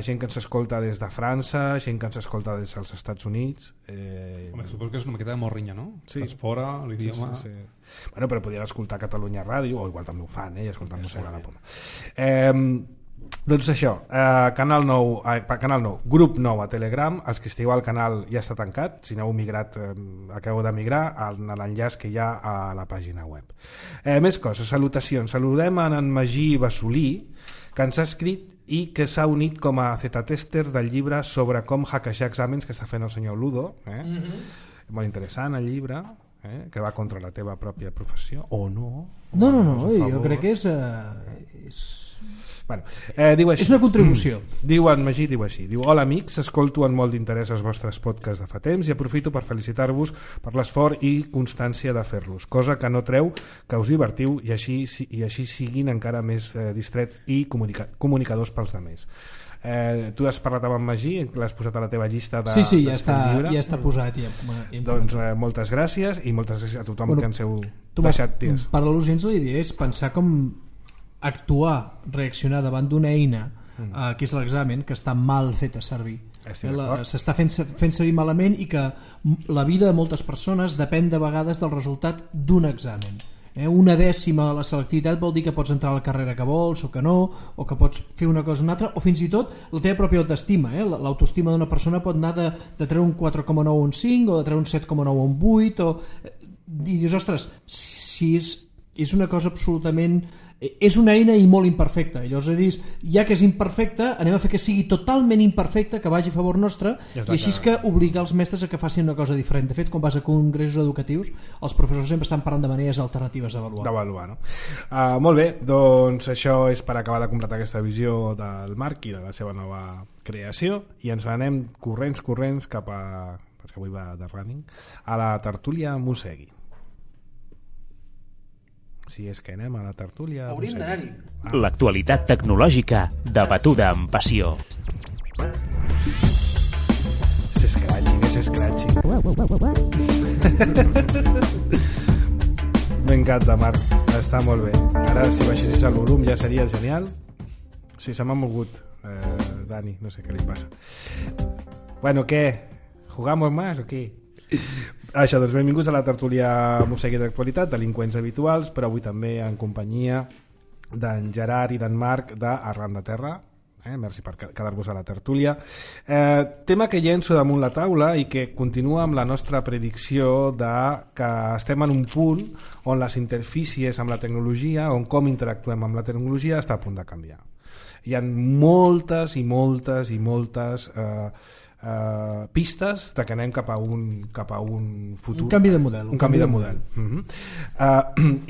gent que ens escolta des de França, gent que ens escolta des dels Estats Units. Home, suposo que és una miqueta de morrinya, no? Sí. Estàs fora, l'idioma... Sí. Bueno, però podien escoltar Catalunya Ràdio, o igual també ho fan, i escoltar Mossega la Poma. Doncs això, canal nou, grup nou a Telegram. Els que estigueu al canal ja està tancat, si n'heu migrat, acabeu de migrar a l'enllaç que hi ha a la pàgina web. Més coses, salutacions. Saludem en Magí Bassolí, que ens ha escrit i que s'ha unit com a Z-testers del llibre sobre com hackejar exàmens que està fent el senyor Ludo. Molt interessant el llibre, que va contra la teva pròpia professió, o no? No, jo crec que és... Bueno, diu així. És una contribució. Diu en Magí, diu així. Diu, hola amics, escolto amb molt d'interès els vostres podcasts de fa temps i aprofito per felicitar-vos per l'esforç i constància de fer-los, cosa que no treu que us divertiu i així siguin encara més distrets i comunicadors pels demés. Tu has parlat amb en Magí, l'has posat a la teva llista de, sí, ja està posat doncs moltes gràcies i moltes gràcies a tothom que ens heu deixat ties. Per al·lusions la idea és pensar com actuar, reaccionar davant d'una eina que és l'examen, que està mal feta servir, s'està fent servir malament, i que la vida de moltes persones depèn de vegades del resultat d'un examen. Una dècima de la selectivitat vol dir que pots entrar a la carrera que vols o que no, o que pots fer una cosa o una altra, o fins i tot la teva pròpia autoestima. L'autoestima d'una persona pot anar de treure un 4,9 a un 5, o de treure un 7,9 a un 8, i dius, ostres, si és una cosa absolutament... És una eina i molt imperfecta, i llavors dir, ja que és imperfecta, anem a fer que sigui totalment imperfecta, que vagi a favor nostre, i així és que obligar els mestres a que facin una cosa diferent. De fet, quan vas a congressos educatius, els professors sempre estan parlant de maneres alternatives d'avaluar. No? Molt bé, doncs això és per acabar de completar aquesta visió del Marc i de la seva nova creació, i ens anem corrents cap a, que avui va de running, a la tertúlia Mossegui. Si és que anem a la tertúlia... Hauríem d'anar-hi. L'actualitat tecnològica debatuda amb passió. És scratching. M'encanta, Marc. Està molt bé. Ara, si baixessis el volum ja seria genial. Sí, se m'ha mogut, Dani. No sé què li passa. Bueno, què? ¿Jugamos más o què? Això, doncs benvinguts a la tertúlia Mossegui d'actualitat, delinqüents habituals, però avui també en companyia d'en Gerard i d'en Marc d'Arran de Terra. Merci per quedar-vos a la tertúlia. Tema que llenço damunt la taula i que continua amb la nostra predicció de que estem en un punt on les interfícies amb la tecnologia, on com interactuem amb la tecnologia està a punt de canviar. Hi ha moltes i moltes i moltes pistes de que anem cap a un futur, un canvi de model,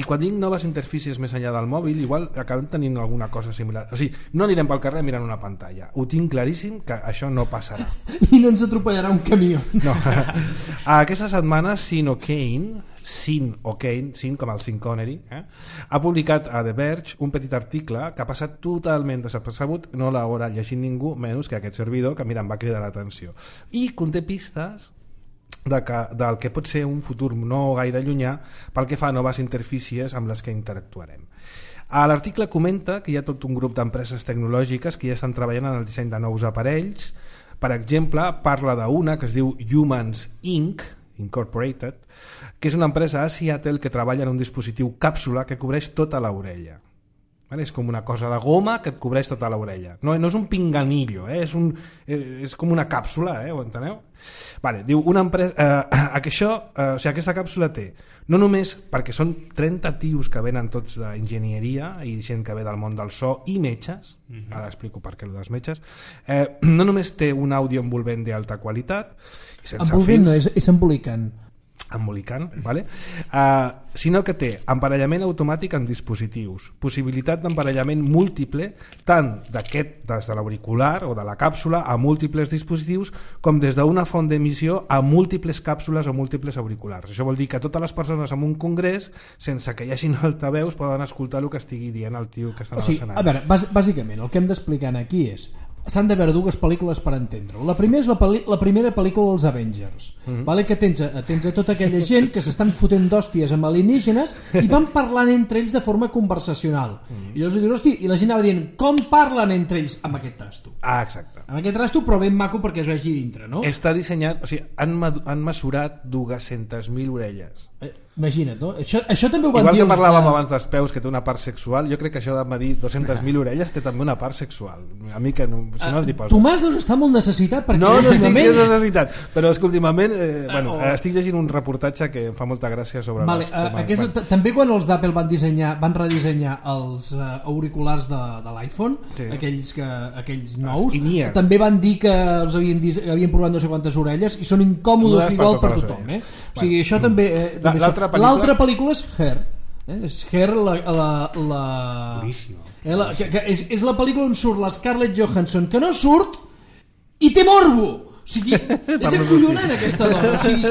I quan dic noves interfícies més enllà del mòbil, igual acabem tenint alguna cosa similar. O sigui, no anirem pel carrer mirant una pantalla, ho tinc claríssim que això no passarà i no ens atropellarà un camió. No. Aquesta setmana Sean O'Kane, com el Sean Connery, ha publicat a The Verge un petit article que ha passat totalment desapercebut, no l'haurà llegit ningú menys que aquest servidor, que mira, em va cridar l'atenció, i conté pistes del que pot ser un futur no gaire llunyà pel que fa a noves interfícies amb les que interactuarem. L'article comenta que hi ha tot un grup d'empreses tecnològiques que ja estan treballant en el disseny de nous aparells. Per exemple, parla d'una que es diu Humans Inc., Incorporated, que és una empresa a Seattle que treballa en un dispositiu càpsula que cobreix tota l'orella. És com una cosa de goma que et cobreix tota l'orella. No és un pinganillo, és com una càpsula, ho enteneu? Diu, una empresa, aquesta càpsula té, no només perquè són 30 tios que venen tots d'enginyeria i gent que ve del món del so i metges, ara explico per què el dels metges, no només té un àudio envolvent d'alta qualitat, envolvent no, és embolicant, vale? Sinó que té emparellament automàtic en dispositius, possibilitat d'emparellament múltiple tant des de l'auricular o de la càpsula a múltiples dispositius com des d'una font d'emissió a múltiples càpsules o múltiples auriculars. Això vol dir que totes les persones en un congrés, sense que hi hagin altaveus, poden escoltar el que estigui dient el tio que està a l'escenari. A veure, bàsicament el que hem d'explicar aquí és s'han de veure dues pel·lícules per entendre-ho. La primera és la primera pel·lícula dels Avengers, vale? Que tens a tota aquella gent que s'estan fotent d'hòsties amb alienígenes i van parlant entre ells de forma conversacional. I llavors dius, hosti, i la gent anava dient, com parlen entre ells amb aquest trasto? Exacte. Amb aquest trasto, però ben maco perquè es vegi dintre, no? Està dissenyat, o sigui, han mesurat 200.000 orelles. Imagina't, no? Això també ho van dir... Igual que parlàvem abans dels peus, que té una part sexual, jo crec que això de medir 200.000 orelles té també una part sexual. A mi que no, si no t'hi poso. Tomàs deus estar molt necessitat perquè... No estic necessitat, però és que últimament estic llegint un reportatge que em fa molta gràcia sobre els temes. També quan els d'Apple van redissenyar els auriculars de l'iPhone, aquells nous, també van dir que els havien provat no sé quantes orelles i són incòmodes igual per tothom. O sigui, això també... L'altra pel·lícula és Her. És Her és la pel·lícula on surt la Scarlett Johansson, que no surt i té morbo. O sigui, és acollonant aquesta dona. O sigui,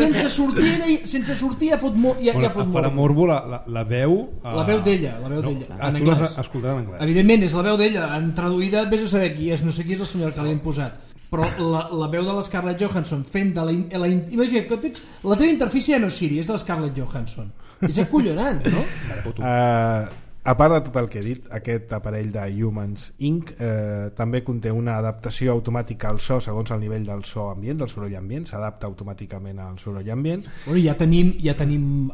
sense sortir ja fot morbo. Farà morbo la veu... La veu d'ella, en anglès. Escoltat en anglès. Evidentment, és la veu d'ella. En traduïda, vés a saber qui és. No sé qui és la senyora que l'han posat. Però la veu de la Scarlett Johansson fent de imagina que tens la teva interfície no és Siri, és de la Scarlett Johansson. És acollonant, no? A part de tot el que he dit, aquest aparell de Humans Inc. També conté una adaptació automàtica al so segons el nivell del so ambient, del soroll ambient, s'adapta automàticament al soroll ambient. Bueno, ja tenim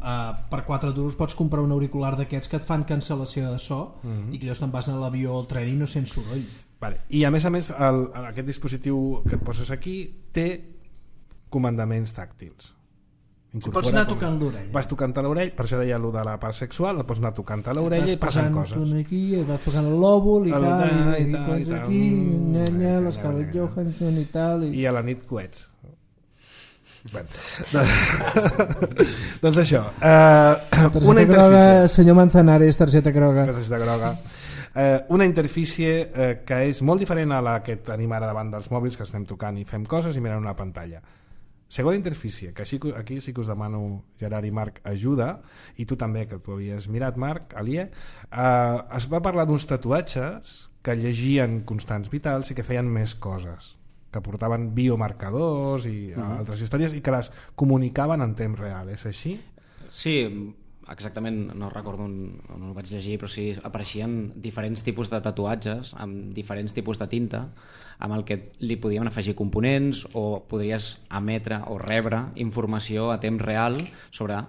per 4 duros pots comprar un auricular d'aquests que et fan cancel·lació de so i que llavors te'n vas a l'avió o al tren i no sents soroll. I a més aquest dispositiu que et poses aquí té comandaments tàctils. Pots anar tocant l'orella. Vas tocant a l'orella, per això deia allò de la part sexual, el pots anar tocant a l'orella i passen coses. Aquí, vas posant el lòbul i tal, i quan aquí, l'Scarlett Johansson i tal. I a la nit coets. Doncs això, una interfície. Senyor Manzanares, targeta groga. Una interfície que és molt diferent a la que tenim ara davant dels mòbils, que estem tocant i fem coses i mirant una pantalla. Segona interfície, que aquí sí que us demano, Gerard i Marc, ajuda, i tu també, que tu havies mirat, Marc, Alié, es va parlar d'uns tatuatges que llegien constants vitals i que feien més coses, que portaven biomarcadors i altres històries i que les comunicaven en temps real, és així? Sí, exactament no recordo on ho vaig llegir, però sí apareixien diferents tipus de tatuatges amb diferents tipus de tinta amb el que li podíem afegir components o podries emetre o rebre informació a temps real sobre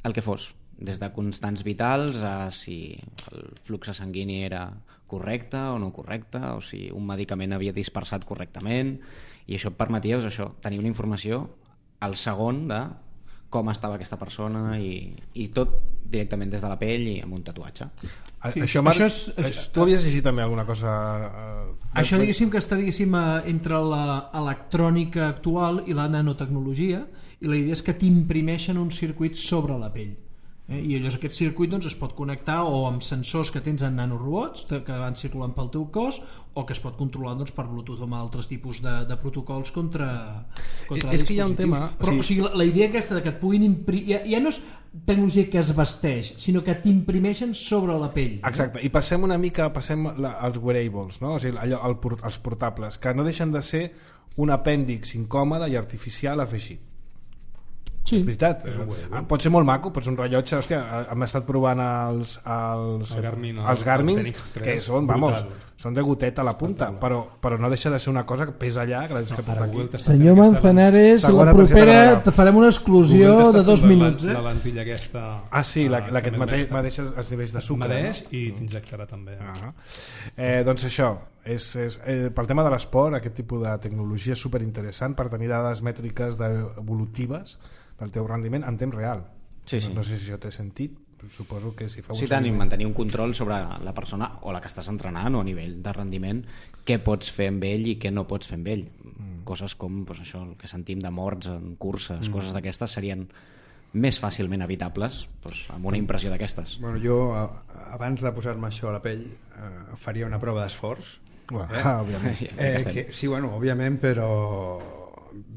el que fos, des de constants vitals a si el flux sanguini era correcte o no correcte, o si un medicament havia dispersat correctament, i això et permetia tenir una informació al segon de com estava aquesta persona i tot directament des de la pell i amb un tatuatge. Això, Marc, tu havies llegit també alguna cosa... Això diguéssim que està entre l'electrònica actual i la nanotecnologia, i la idea és que t'imprimeixen un circuit sobre la pell. I llavors aquest circuit es pot connectar o amb sensors que tens en nanorobots que van circulant pel teu cos, o que es pot controlar per Bluetooth o amb altres tipus de protocols contra és que hi ha un tema... Però o sigui, la idea aquesta que et puguin imprimir... Ja no és tecnologia que es vesteix, sinó que t'imprimeixen sobre la pell. Exacte, i passem una mica als wearables, no? O sigui, els portables, que no deixen de ser un apèndix incòmode i artificial afegit. Sí. És veritat, pot ser molt maco, pot ser un rellotge. Hòstia, hem estat provant els Garmin, que són de gotet a la punta, però no deixa de ser una cosa que pesa allà, que la deixes portar aquí. Senyor Manzanares, la propera te farem una exclusió de 2 minuts. La lentilla aquesta... Ah, sí, la que et mateix els nivells de sucre. Mateix i t'injectarà també. Doncs això, pel tema de l'esport, aquest tipus de tecnologia és superinteressant per tenir dades mètriques evolutives del teu rendiment en temps real. Sí. No sé si això té sentit, però suposo que si fa un tant, i mantenir un control sobre la persona o la que estàs entrenant o a nivell de rendiment, què pots fer amb ell i què no pots fer amb ell. Coses com això, el que sentim de morts en curses, coses d'aquestes serien més fàcilment evitables amb una impressió d'aquestes. Bueno, jo, abans de posar-me això a la pell, faria una prova d'esforç. Òbviament. Sí, bueno, òbviament, però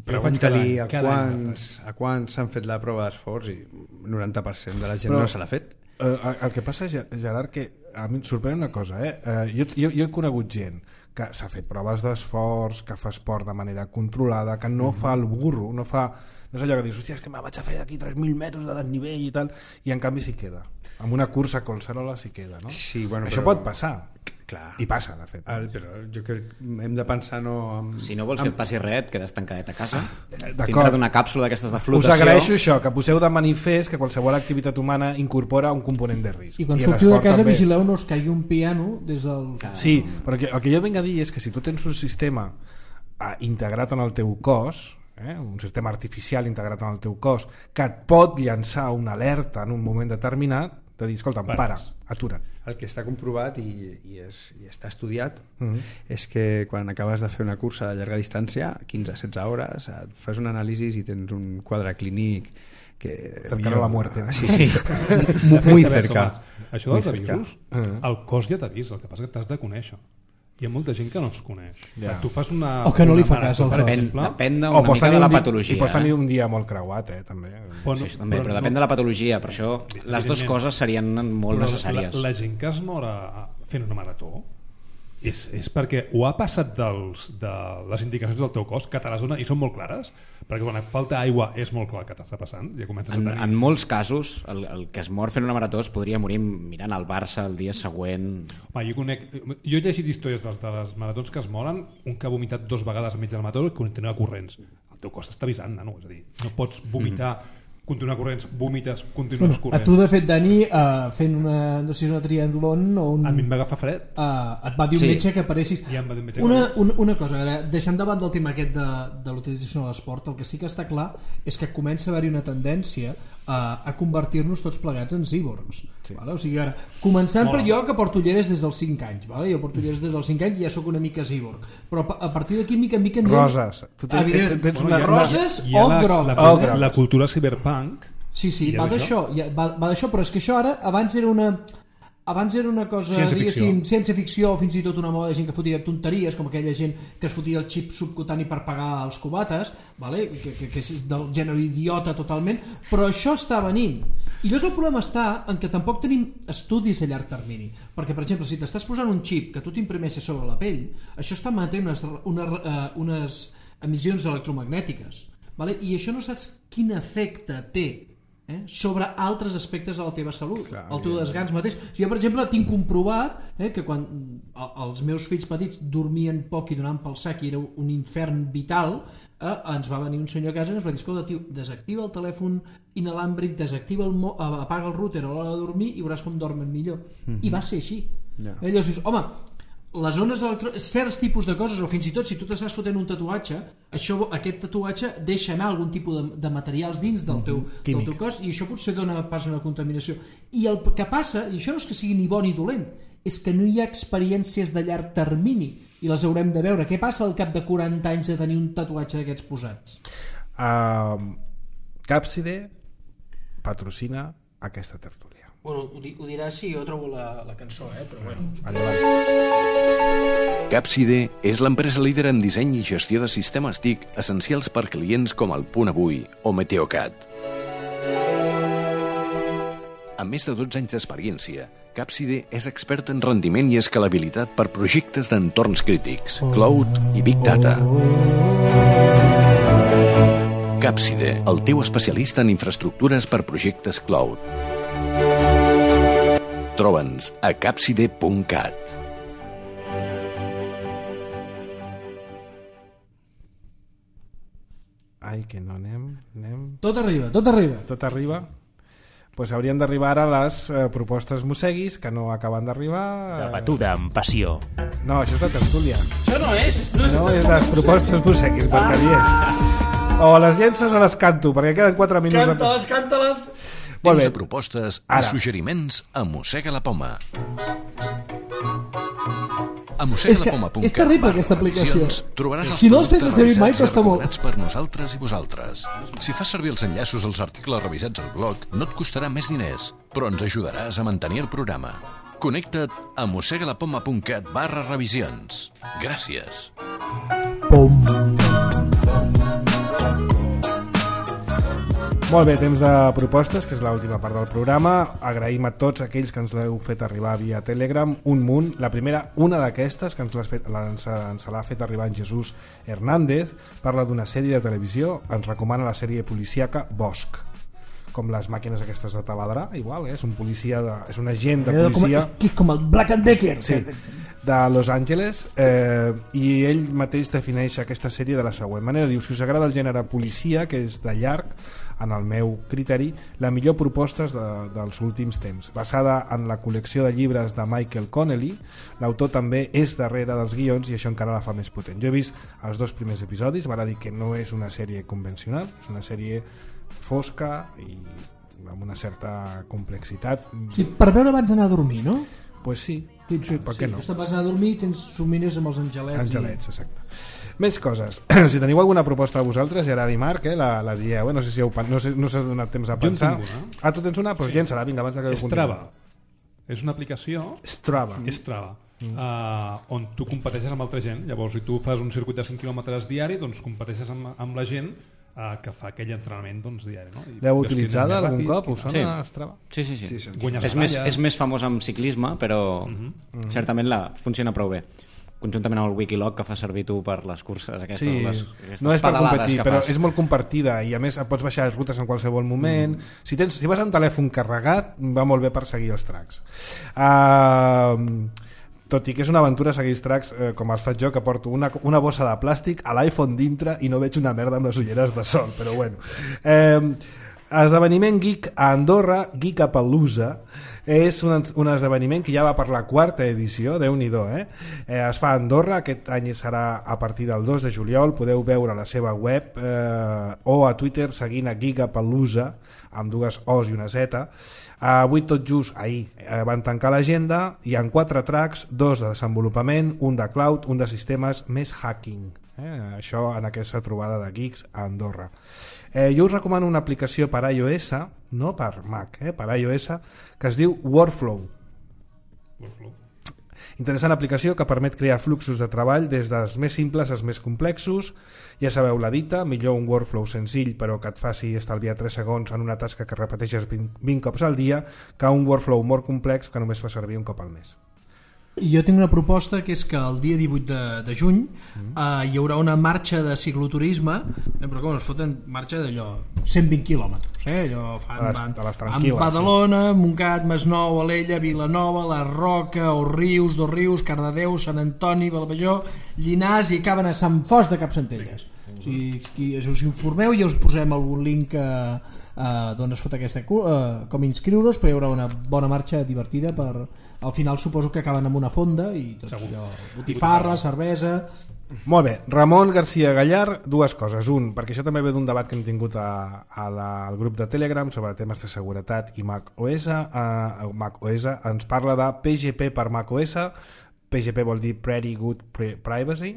pregunta-li a quants s'han fet la prova d'esforç i 90% de la gent no se l'ha fet. El que passa, Gerard, que a mi em sorprèn una cosa, jo he conegut gent que s'ha fet proves d'esforç, que fa esport de manera controlada, que no fa el burro, no és allò que dius, hòstia, és que me vaig a fer d'aquí 3.000 metres de desnivell i tal, i en canvi s'hi queda. Amb una cursa a Collserola s'hi queda, no? Sí, bueno, això pot passar. Clar. I passa, de fet. Però jo crec que hem de pensar si no vols que et passi res, et quedes tancadet a casa dintre d'una càpsula d'aquestes de flotació. Us agraeixo això, que poseu de manifest que qualsevol activitat humana incorpora un component de risc. I quan sortiu de casa vigileu no us caigui un piano des del... Sí, però el que jo vinc a dir és que si tu tens un sistema integrat en el teu cos, un sistema artificial integrat en el teu cos, que et pot llançar una alerta en un moment determinat, de dir, escolta'm, para, atura't. El que està comprovat i està estudiat és que quan acabes de fer una cursa de llarga distància, 15-16 hores, et fas un anàlisi i tens un quadre clínic que... Cercano la muerte. Sí. Muy cerca. Això dels avisos, el cos ja t'avisa, el que passa que t'has de conèixer. Hi ha molta gent que no es coneix. Tu fas una... O que no li fa cas al cos. Depèn una mica de la patologia. I pots tenir un dia molt creuat, també. Sí, també, però depèn de la patologia. Per això les dues coses serien molt necessàries. La gent que es mor fent una marató és perquè ho ha passat de les indicacions del teu cos que te les dona i són molt clares, perquè quan et falta aigua és molt clar que t'està passant, ja comences a tenir... En molts casos el que es mor fent una marató es podria morir mirant el Barça el dia següent. Jo he llegit històries de les maratons que es moren, un que ha vomitat 2 vegades enmig de la marató i continua corrents. El teu cos t'està avisant, nano, és a dir, no pots vomitar continuar corrents, vomites, continues corrents. A tu, de fet, Dani, fent una triatlon o un... A mi em va agafar fred. Et va dir un metge que aparessis... Ja em va dir un metge que una cosa, deixant davant del tema aquest de l'utilització de l'esport, el que sí que està clar és que comença a haver-hi una tendència a convertir-nos tots plegats en cíborgs. Sí. Vale? O sigui, ara, començant per jo, que porto ulleres des dels 5 anys. Vale? Jo porto ulleres des dels 5 anys i ja sóc una mica cíborg. Però a partir d'aquí, mica en mica... Roses. Roses o groc. La cultura cyberpunk... Sí, va d'això, però és que això ara abans era una cosa, diguéssim, ciència-ficció, o fins i tot una moda de gent que fotia tonteries, com aquella gent que es fotia el xip subcutani per pagar els cubates, vale? que és del gènere idiota totalment, però això està venint. I llavors el problema està en que tampoc tenim estudis a llarg termini, perquè, per exemple, si t'estàs posant un xip que tu t'imprimeixes sobre la pell, això està emetent unes emissions electromagnètiques, vale? I això no saps quin efecte té sobre altres aspectes de la teva salut, el teu desgans mateix. Jo, per exemple, tinc comprovat que quan els meus fills petits dormien poc i donaven pel sac i era un infern vital, ens va venir un senyor a casa i ens va dir: escolta, tio, desactiva el telèfon inalàmbric, apaga el router a l'hora de dormir i veuràs com dormen millor. I va ser així. Llavors dius, home, les ones certs tipus de coses, o fins i tot si tu t'estàs fotent un tatuatge, aquest tatuatge deixa anar algun tipus de materials dins del teu cos, i això potser dona pas a una contaminació. I el que passa, i això no és que sigui ni bo ni dolent, és que no hi ha experiències de llarg termini i les haurem de veure. Què passa al cap de 40 anys de tenir un tatuatge d'aquests posats? Capside patrocina aquesta tertúlia. Bueno, ho diràs si jo trobo la cançó, però bueno. Capside és l'empresa líder en disseny i gestió de sistemes TIC essencials per clients com el Punt Avui o Meteocat. Amb més de 12 anys d'experiència, Capside és expert en rendiment i escalabilitat per projectes d'entorns crítics, cloud i big data. Capside, el teu especialista en infraestructures per projectes cloud. Troba'ns a capside.cat. Ai, que no anem... Tot arriba. Tot arriba. Pues haurien d'arribar ara les propostes mosseguis, que no acaben d'arribar. De batuda amb passió. No, això és la tertúlia. Això no és... No, és les propostes mosseguis, Marc. O les llences o les canto, perquè queden 4 minuts. Canta-les. Tens propostes i suggeriments a Mossega la Poma. A mossegalaPoma.cat. És terrible aquesta aplicació. Trobaràs els si no els tens de servir mai costa molt. Per nosaltres i vosaltres. Si fas servir els enllaços als articles revisats al blog, no et costarà més diners, però ens ajudaràs a mantenir el programa. Connecta't a mossegalaPoma.cat/revisions. Gràcies. Molt bé, temps de propostes, que és l'última part del programa. Agraïm a tots aquells que ens l'heu fet arribar via Telegram, un munt. La primera, una d'aquestes, que ens l'ha fet arribar en Jesús Hernández, parla d'una sèrie de televisió, ens recomana la sèrie policíaca Bosch, com les màquines aquestes de taladrar, igual, és un policia, és un agent de policia... Com el Black and Decker. Sí, de Los Angeles, i ell mateix defineix aquesta sèrie de la següent manera. Diu: si us agrada el gènere policia, que és de llarg, en el meu criteri, la millor proposta dels últims temps. Basada en la col·lecció de llibres de Michael Connelly, l'autor també és darrere dels guions i això encara la fa més potent. Jo he vist els 2 primers episodis, val a dir que no és una sèrie convencional, és una sèrie fosca i amb una certa complexitat. Sí, per veure abans d'anar a dormir, no? Pues sí, per què no? Te'n vas anar a dormir i tens somnis amb els angelets. Angelets, exacte. Més coses. Si teniu alguna proposta a vosaltres, Gerard i Marc, la dieu, no sé si no s'ha donat temps a pensar. Jo en tinc una. Ah, tu tens una? Doncs llença-la, vinga, abans que Strava. És una aplicació... Strava. On tu competeixes amb altra gent. Llavors, si tu fas un circuit de 100 quilòmetres diari, doncs competeixes amb la gent que fa aquell entrenament diari, no? L'heu utilitzada algun cop? Us sona Strava? Sí. És més famós amb ciclisme, però certament funciona prou bé, conjuntament amb el Wikiloc que fa servir tu per les curses aquestes, sí, no és per competir, però és molt compartida i a més pots baixar les rutes en qualsevol moment. Si vas amb telèfon carregat, va molt bé per seguir els tracks. Tot i que és una aventura seguir els tracks, com els faig jo, que porto una bossa de plàstic a l'iPhone dintre i no veig una merda amb les ulleres de sol, però bueno. Esdeveniment geek a Andorra, Geekapalooza, és un esdeveniment que ja va per la 4ª edició, Déu-n'hi-do, es fa a Andorra, aquest any serà a partir del 2 de juliol, podeu veure la seva web o a Twitter seguint a Geekapalooza, amb 2 O's i una Z. Avui tot just, ahir, van tancar l'agenda, hi ha 4 tracks, 2 de desenvolupament, un de cloud, un de sistemes, més hacking. Això en aquesta trobada de geeks a Andorra. Jo us recomano una aplicació per iOS, no per Mac, per iOS, que es diu Workflow. Interessant aplicació que permet crear fluxos de treball des dels més simples als més complexos. Ja sabeu la dita, millor un workflow senzill però que et faci estalviar 3 segons en una tasca que repeteixes 20 cops al dia que un workflow molt complex que només fa servir un cop al mes. I jo tinc una proposta que és que el dia 18 de juny hi haurà una marxa de cicloturisme però com es foten marxa d'allò 120 quilòmetres, allò A les van tranquil·les, Badalona, Montgat, Masnou, Alella, Vilanova, La Roca, Òrrius, Dosrius, Cardedeu, Sant Antoni, Balbajor, Llinars i acaben a Sant Fos de Capcentelles. O sigui, si us informeu ja us posem algun link d'on es fot aquesta com inscriure-us, però hi haurà una bona marxa divertida al final suposo que acaben amb una fonda i tot allò, botifarra, cervesa. Molt bé, Ramon García Gallar, dues coses. Un, perquè això també ve d'un debat que hem tingut al grup de Telegram sobre temes de seguretat i macOS. macOS ens parla de PGP per macOS. PGP vol dir Pretty Good Privacy,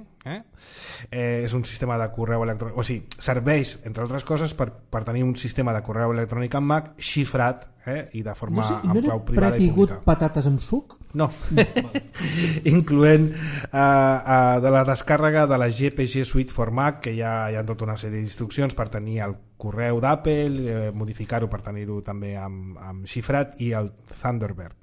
és un sistema de correu electrònic, o sigui, serveix, entre altres coses, per tenir un sistema de correu electrònic en Mac xifrat i de forma no era Pretty Good patates amb suc? No, incloent de la descàrrega de la GPG Suite for Mac, que ja hi ha tota una sèrie d'instruccions per tenir el correu d'Apple, modificar-ho per tenir-ho també amb xifrat, i el Thunderbird.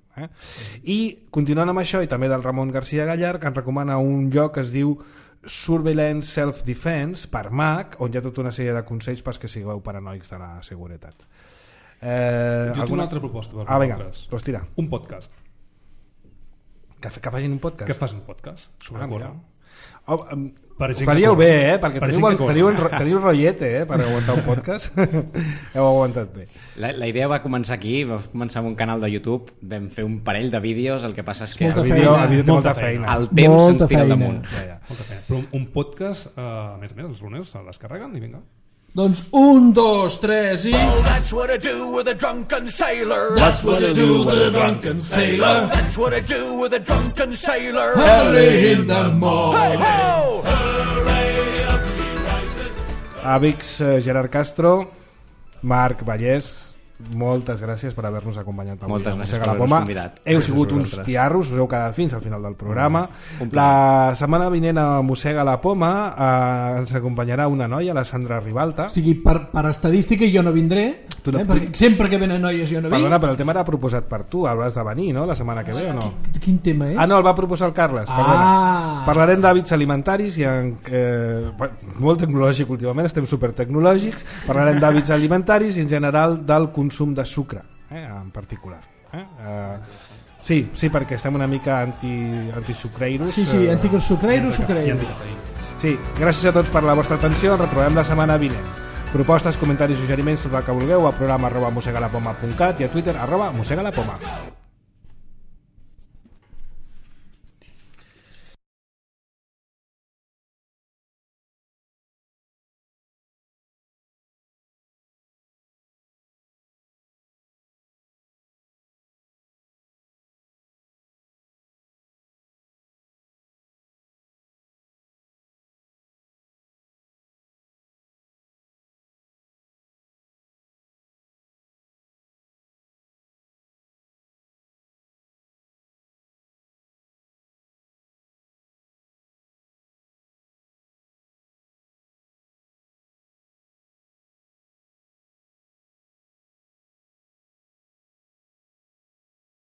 I continuant amb això, i també del Ramon García Gallar, que ens recomana un lloc que es diu Surveillance Self-Defense per Mac, on hi ha tota una sèrie de consells perquè sigueu paranoics de la seguretat. Jo tinc una altra proposta per vosaltres. Doncs tira. Un podcast. Que facin un podcast? Que facin un podcast sobre córrer. Faríeu bé, perquè teniu rotllete per aguantar un podcast. Heu aguantat bé. La idea va començar aquí, va començar amb un canal de YouTube, vam fer un parell de vídeos, el que passa és que el vídeo té molta feina. El temps se'ns tira al damunt. Molta feina. Però un podcast, a més, els luners se'l descarreguen i vinga. Doncs 1, 2, 3 i... Oh, that's what I do with a drunken sailor. That's what I do with a drunken sailor. That's what I do with a drunken sailor. Early in the morning. Hey, ho! Amics, Gerard Castro, Marc Vallès, moltes gràcies per haver-nos acompanyat avui. Moltes gràcies per per haver-nos convidat. Heu sigut uns tiarros, us heu quedat fins al final del programa. La setmana vinent a Mossega la Poma ens acompanyarà una noia, la Sandra Ribalta. O sigui, per estadística jo no vindré, perquè sempre que venen noies jo no vinc. Perdona, però el tema era proposat per tu, hauràs de venir, no?, la setmana que ve, o no? Quin tema és? No, el va proposar el Carles, perdona. Parlarem d'hàbits alimentaris, molt tecnològic últimament, estem supertecnològics, parlarem d'hàbits alimentaris i en general del consum de sucre, en particular. Sí, perquè estem una mica antisucreiros. Sí, antisucreiros, sucreiros. Sí, gràcies a tots per la vostra atenció, ens retrobem la setmana vinent. Propostes, comentaris, suggeriments, tot el que vulgueu a programa@mosegalapoma.cat i a Twitter @mosegalapoma.